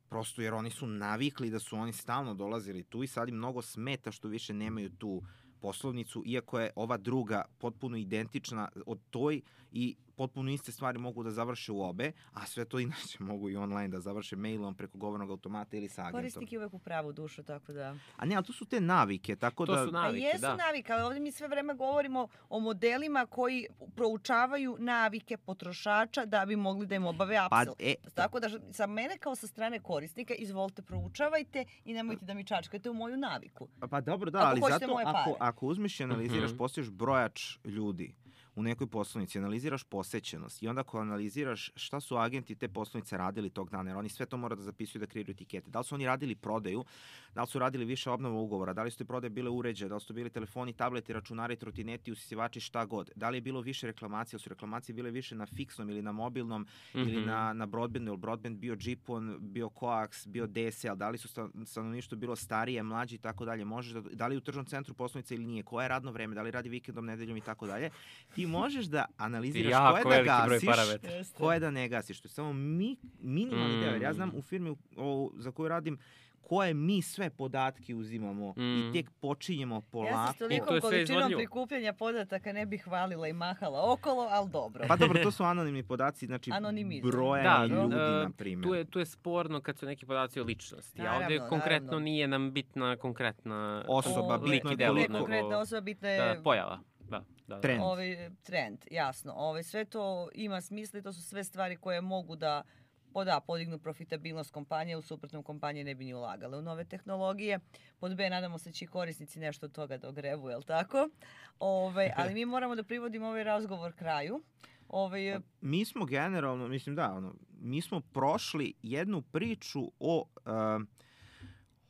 prosto jer oni su navikli da su oni stalno dolazili tu i sad im mnogo smeta što više nemaju tu poslovnicu, iako je ova druga potpuno identična od toj i potpuno iste stvari mogu da završe u obe, a sve to inače mogu i online da završe mailom preko govornog automata ili sa agentom. Korisnik je uvek u pravu dušu, tako da... A ne, ali to su te navike, tako da... To su navike, jesu navike, ali ovdje mi sve vreme govorimo o modelima koji proučavaju navike potrošača da bi mogli da im obave upsell. Tako da sa mene kao sa strane korisnika, izvolite, proučavajte i nemojte da mi čačkate u moju naviku. Pa dobro, da, ali zato ako uzmeš i analiziraš, postojiš brojač ljudi u nekoj poslovnici, analiziraš posećenost i onda ako analiziraš šta su agenti te poslovnice radili tog dana, jer oni sve to mora da zapisuju, da kreiraju etikete. Da li su oni radili prodaju, da li su radili više obnova ugovora, da li su te prodaje bile uređaje, da li su bili telefoni, tableti, računari, trotineti, usisivači, šta god. Da li je bilo više reklamacija, ili su reklamacije bile više na fiksnom ili na mobilnom ili na broadbandu, ili broadband bio GPON, bio Coax, bio DSL, da li su stanovništvo bilo starije, mlađi i tako dalje. Da li je u tržnom centru poslovnice ili nije, koje je radno vreme, da li radi vikendom, nedeljom i tako dalje. Ti možeš da analiziraš koje da gasiš, koje da ne gasiš. To je samo minimalni deo. Jer ja znam u firmi za koju radim koje mi sve podatke uzimamo i tek počinjemo polako. Ja se s tolikom količinom prikupljanja podataka ne bih hvalila i mahala okolo, ali dobro. Pa dobro, to su anonimni podaci, znači brojani ljudi, na primjer. Tu je sporno kad su neki podaci o ličnosti. A ovdje konkretno nije nam bitna konkretna osoba, bitna je pojava. Trend. Trend, jasno. Sve to ima smisla i to su sve stvari koje mogu da podignu profitabilnost kompanije, u suprotnom kompanije ne bi ni ulagale u nove tehnologije. Pod B, nadamo se će i korisnici nešto od toga da ogrebu, jel tako? Ali mi moramo da privodimo ovaj razgovor kraju. Mi smo generalno, mi smo prošli jednu priču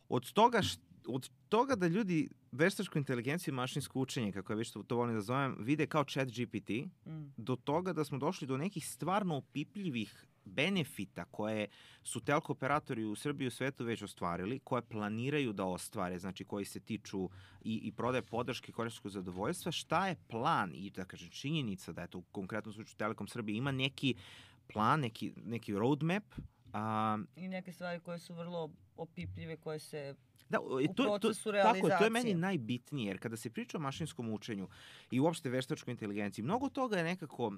od toga da ljudi veštačku inteligenciju i mašinsko učenje, kako ja već to volim da zovem, vide kao ChatGPT, do toga da smo došli do nekih stvarno opipljivih benefita koje su telko operatori u Srbiji i u svetu već ostvarili, koje planiraju da ostvare, znači koji se tiču i prodaje podrške korisničkog zadovoljstva. Šta je plan i da kažem činjenica da je to u konkretnom slučaju Telekom Srbije ima neki plan, neki roadmap. I neke stvari koje su vrlo opipljive, koje se... u procesu realizacije. Tako, to je meni najbitnije, jer kada se priča o mašinskom učenju i uopšte veštačkoj inteligenciji, mnogo toga je nekako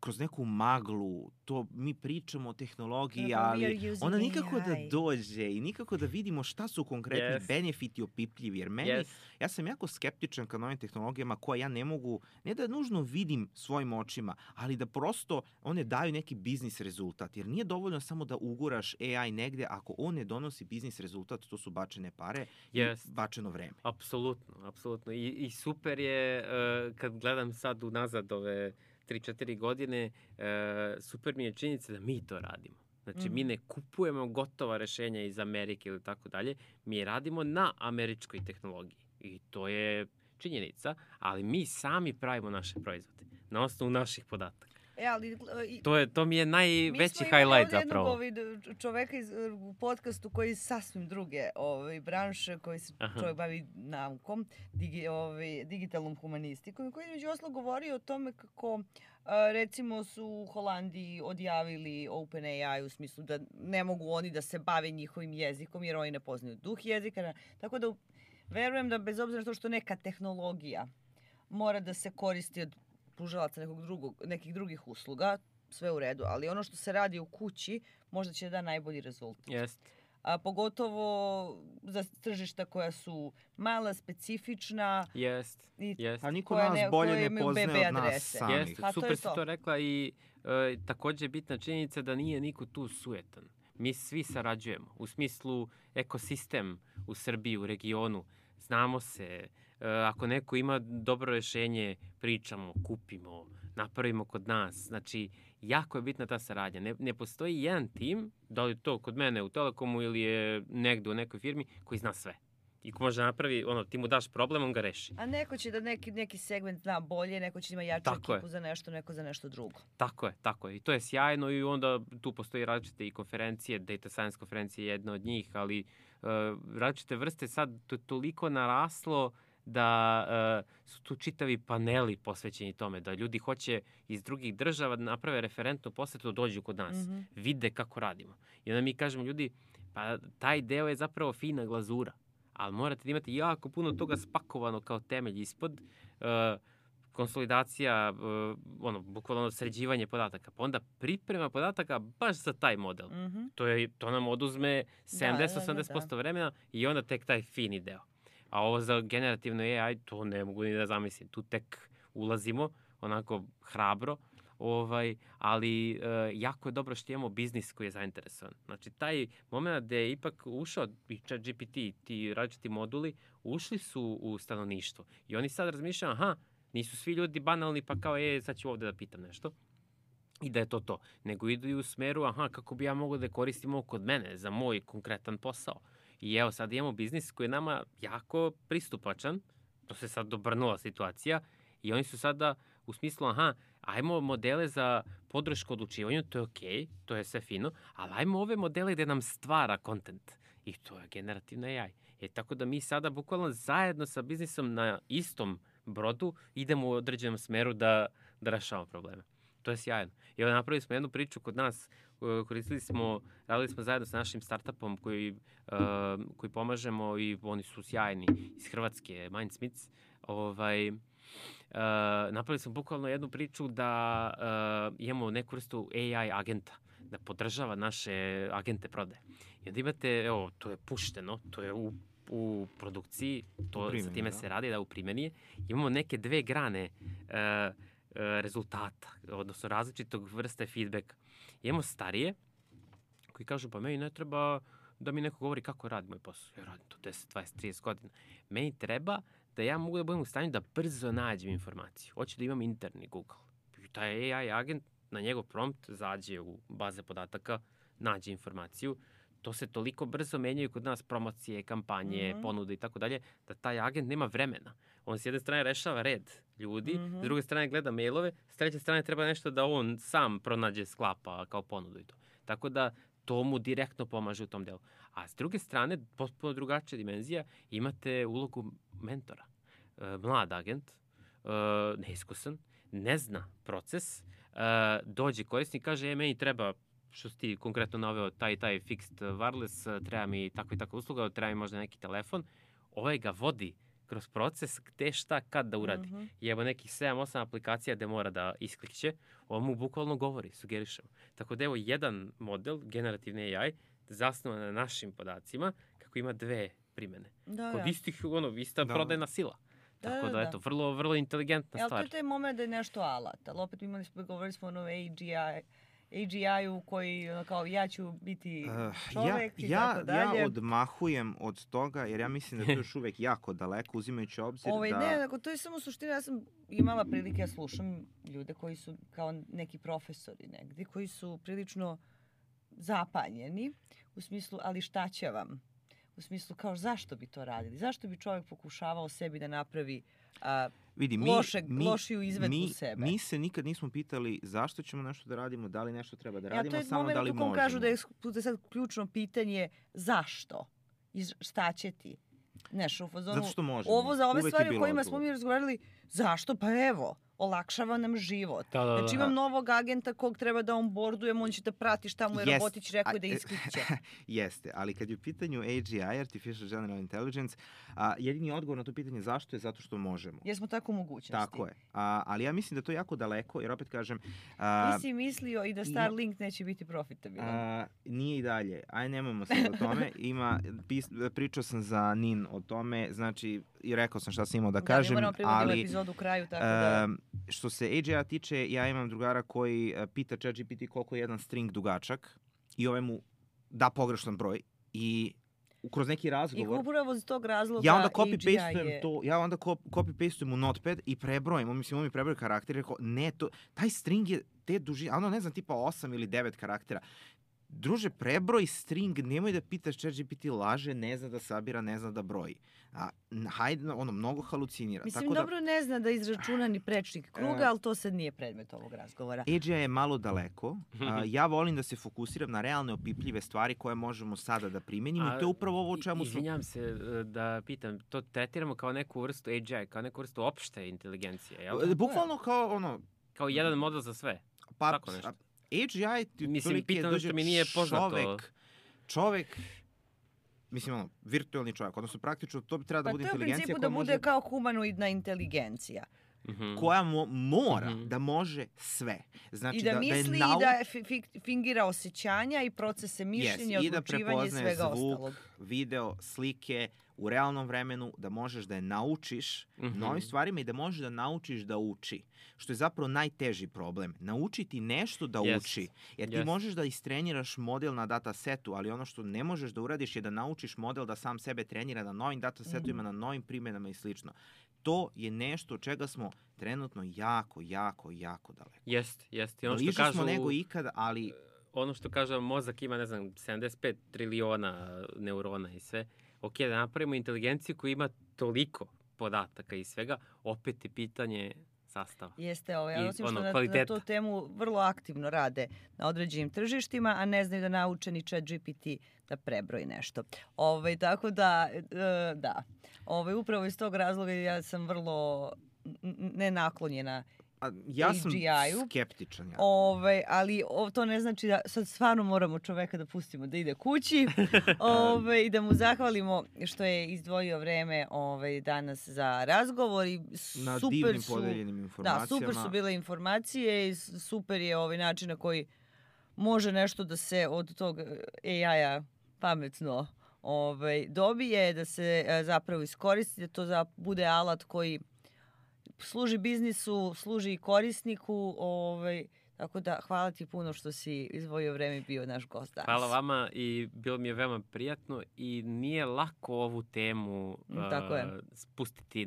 kroz neku maglu, to mi pričamo o tehnologiji, ali ona nikako da dođe i nikako da vidimo šta su konkretni benefiti opipljivi, jer ja sam jako skeptičan ka novim tehnologijama koje ja ne mogu, ne da nužno vidim svojim očima, ali da prosto one daju neki biznis rezultat, jer nije dovoljno samo da uguraš AI negde, ako on ne donosi biznis rezultat, to su bačene pare i bačeno vreme. Apsolutno. I super je, kad gledam sad unazad ove 3-4 godine, super mi je činjenica da mi to radimo. Znači, mi ne kupujemo gotova rešenja iz Amerike ili tako dalje, mi radimo na američkoj tehnologiji. I to je činjenica, ali mi sami pravimo naše proizvode na osnovu naših podataka. To mi je najveći highlight zapravo. Mi smo imali jednog čoveka u podcastu koji je sasvim druge branše, koji se čovjek bavi naukom, digitalnom humanistikom, koji je među oslo govorio o tome kako recimo su u Holandiji odjavili OpenAI u smislu da ne mogu oni da se bave njihovim jezikom jer oni ne poznaju duh jezika. Tako da verujem da bez obzira što neka tehnologija mora da se koristi od pružalaca nekih drugih usluga, sve u redu, ali ono što se radi u kući možda će da najbolji rezultat. A pogotovo za tržišta koja su mala, specifična. A niko nas bolje ne poznaje od nas samih. Super si to rekla i također je bitna činjenica da nije niko tu sujetan. Mi svi sarađujemo. U smislu ekosistem u Srbiji, u regionu. Znamo se. Ako neko ima dobro rješenje, pričamo, kupimo, napravimo kod nas. Znači, jako je bitna ta saradnja. Ne postoji jedan tim, da li to kod mene u Telekomu ili je negdje u nekoj firmi, koji zna sve. I ko može napravi, ti mu daš problem, on ga reši. A neko će da neki segment zna bolje, neko će ima jaču ekipu za nešto, neko za nešto drugo. Tako je. I to je sjajno i onda tu postoji različite i konferencije, Data Science konferencija je jedna od njih, ali različite vrste sad to je toliko naraslo da su tu čitavi paneli posvećeni tome, da ljudi hoće iz drugih država da naprave referentnu posetu, dođu kod nas, vide kako radimo. I onda mi kažemo ljudi, pa taj deo je zapravo fina glazura, ali morate da imate jako puno toga spakovano kao temelj ispod, konsolidacija, bukvalno sređivanje podataka, pa onda priprema podataka baš za taj model. To nam oduzme 70-80% vremena i onda tek taj fini deo. A ovo za generativno AI, to ne mogu ni da zamislim. Tu tek ulazimo, onako hrabro, ali jako je dobro što imamo biznis koji je zainteresovan. Znači, taj moment gde je ipak ušao i ChatGPT, ti različiti moduli, ušli su u stanovništvo. I oni sad razmišljaju, nisu svi ljudi banalni, pa kao, sad ću ovde da pitam nešto. I da je to. Nego idu i u smeru, kako bi ja mogao da koristim ovo kod mene, za moj konkretan posao. I evo, sad imamo biznis koji je nama jako pristupačan, to se sad dobrnula situacija, i oni su sada u smislu, ajmo modele za podršku odlučivanju, to je okej, to je sve fino, ali ajmo ove modele gde nam stvara kontent. I to je generativna AI. Tako da mi sada bukvalno zajedno sa biznisom na istom brodu idemo u određenom smeru da rešavamo probleme. To je sjajno. I evo, napravili smo jednu priču kod nas, radili smo zajedno sa našim startupom koji pomažemo i oni su sjajni iz Hrvatske, Mindsmiths. Napravili smo bukvalno jednu priču da imamo neku vrstu AI agenta, da podržava naše agente prodaje. I onda imate, to je pušteno, to je u produkciji, sa time se radi, u primjeni. Imamo neke dve grane rezultata, odnosno različitog vrste feedbacka. Imamo starije koji kažu, pa meni ne treba da mi neko govori kako radi moj posao. Ja radim to 10, 20, 30 godina. Meni treba da ja mogu da budem u stanju da brzo nađem informaciju. Hoću da imam interni Google. Taj AI agent na njegov prompt zađe u baze podataka, nađe informaciju. To se toliko brzo menjaju kod nas promocije, kampanje, ponude i tako dalje, da taj agent nema vremena. On s jedne strane rešava red ljudi, s druge strane gleda mailove, s treće strane treba nešto da on sam pronađe, sklapa kao ponudu i to. Tako da to mu direktno pomaže u tom delu. A s druge strane, potpuno drugačija dimenzija, imate ulogu mentora. Mlad agent, neiskusan, ne zna proces, dođe korisnik, kaže, meni treba, što si ti konkretno naveo, taj fixed wireless, treba mi tako i tako usluga, treba mi možda neki telefon, ovaj ga vodi kroz proces gde šta kad da uradi. I evo nekih 7-8 aplikacija gde mora da isklikće, on mu bukvalno govori, sugeriše. Tako da evo jedan model, generativni AI, zasnovan na našim podacima, kako ima dve primene. Kod istih, ista prodajna sila. Tako da, eto, vrlo, vrlo inteligentna stvar. To je taj moment da je nešto alat, ali opet govorili smo o AGI-u koji, kao, ja ću biti čovek i tako dalje. Ja odmahujem od toga, jer ja mislim da to je još uvek jako daleko, uzimajući obzir da... Ne, to je samo suština. Ja sam imala prilike, ja slušam ljude koji su kao neki profesori negdje, koji su prilično zapanjeni, u smislu, ali šta će vam? U smislu, kao, zašto bi to radili? Zašto bi čovjek pokušavao sebi da napravi lošiju izvedbu sebe? Mi se nikad nismo pitali zašto ćemo nešto da radimo, da li nešto treba da radimo, samo da li možemo. To je moment u kom kažu da je sad ključno pitanje zašto i šta će ti. Znaš, u fazonu, zato što možemo. Ovo za ove stvari o kojima smo mi razgovarali, zašto? Pa evo, olakšava nam život. Znači imam novog agenta kog treba da onboardujem, on će da prati šta mu je robotić rekao da isklikće. Jeste, ali kad je u pitanju AGI, Artificial General Intelligence, jedini odgovor na to pitanje zašto je zato što možemo. Jer smo tako u mogućnosti. Tako je. Ali ja mislim da to je jako daleko, jer opet kažem... Nisi mislio i da Starlink neće biti profitabilan? Nije i dalje. Aj, nemojmo sad o tome. Pričao sam za NIN o tome, znači, i rekao sam šta sam imao da kažem, ali... Da, mi moramo privoditi epizodu u kraju, tako da... Što se AGI-a tiče, ja imam drugara koji pita ChatGPT koliko je jedan string dugačak i ovaj mu da pogrešan broj i kroz neki razgovor... I upravo iz tog razloga ja onda copy-pastujem to, ja onda copy-pastujem u Notepad i prebrojim, on mi prebroj karakter i rekao, ne, taj string je te dužine, ono ne znam, tipa 8 ili 9 karaktera. Druže, prebroj string, nemoj da pitaš ChatGPT laže, ne zna da sabira, ne zna da broji. Hajde, mnogo halucinira. Mislim, tako dobro ne zna da izračuna ni prečnik kruga, ali to sad nije predmet ovog razgovora. AGI je malo daleko. Ja volim da se fokusiram na realne opipljive stvari koje možemo sada da primenimo i to je upravo ovo o čemu smo... Izvinjam se da pitam, to tretiramo kao neku vrstu AGI, kao neku vrstu opšte inteligencije, jel? Bukvalno kao Kao jedan model za sve, tako nešto. AGI mislim, pitam što mi nije poznato. Čovek, mislim, virtualni čovjek, odnosno praktično to bi treba da bude inteligencija koja može... Pa to je u principu da bude kao humanoidna inteligencija. Koja mora da može sve. Znači, i da misli i da fingira osjećanja i procese mišljenja, odlučivanja i svega ostalog. Zvuk, video, slike u realnom vremenu, da možeš da je naučiš novim stvarima i da možeš da naučiš da uči. Što je zapravo najteži problem. Naučiti nešto da uči. Jer ti možeš da istreniraš model na datasetu, ali ono što ne možeš da uradiš je da naučiš model da sam sebe trenira na novim datasetovima, na novim primjenama i slično. To je nešto od čega smo trenutno jako daleko. Jeste. Bliže smo nego ikad, ali... Ono što kažem, mozak ima, 75 triliona neurona i sve. Ok, da napravimo inteligenciju koja ima toliko podataka i svega, opet je pitanje sastava. Jeste, ja osim što na tu temu vrlo aktivno rade na određenim tržištima, a ne znaju da nauče ni ChatGPT da prebroji nešto. Tako da, upravo iz tog razloga ja sam vrlo nenaklonjena ja sam skeptičan. Ali to ne znači da sad stvarno moramo čoveka da pustimo da ide kući i da mu zahvalimo što je izdvojio vreme danas za razgovor. I na divnim podeljenim informacijama. Da, super su bile informacije i super je način na koji može nešto da se od tog AI-a pametno dobije, da se zapravo iskoristi, da to bude alat koji služi biznisu, služi i korisniku, tako da hvala ti puno što si izdvojio vreme i bio naš gost danas. Hvala vama i bilo mi je veoma prijatno i nije lako ovu temu spustiti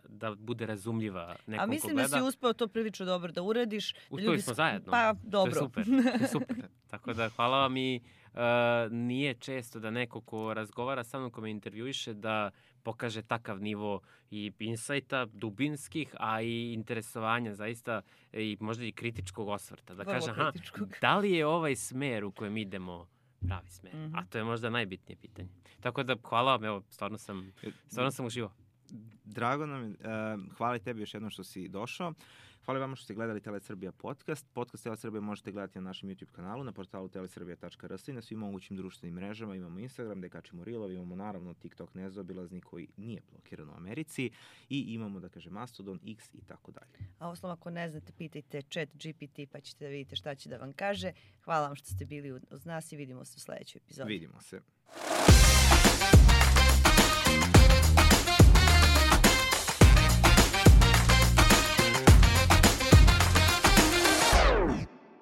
da bude razumljiva nekom ko gleda. A mislim da si uspeo to prilično dobro da uradiš. Uspeli smo zajedno. Pa dobro. To je super. Tako da hvala vam i nije često da neko ko razgovara sa mnom, ko me intervjuiše, da pokaže takav nivo i insajta, dubinskih, a i interesovanja zaista i možda i kritičkog osvrta. Da kaže, da li je ovaj smer u kojem idemo pravi smer? A to je možda najbitnije pitanje. Tako da hvala vam, evo, stvarno sam uživao. Drago nam je, hvala tebi još jednom što si došao. Hvala vama što ste gledali Telesrbija podcast. Podcast Telesrbija možete gledati na našem YouTube kanalu, na portalu telesrbija.rs i na svim mogućim društvenim mrežama. Imamo Instagram gde kačimo reelove, imamo naravno TikTok nezaobilazni koji nije blokiran u Americi i imamo, Mastodon, X i tako dalje. A osnovno, ako ne znate, pitajte ChatGPT pa ćete da vidite šta će da vam kaže. Hvala vam što ste bili uz nas i vidimo se u sledećoj epizodi. Vidimo se.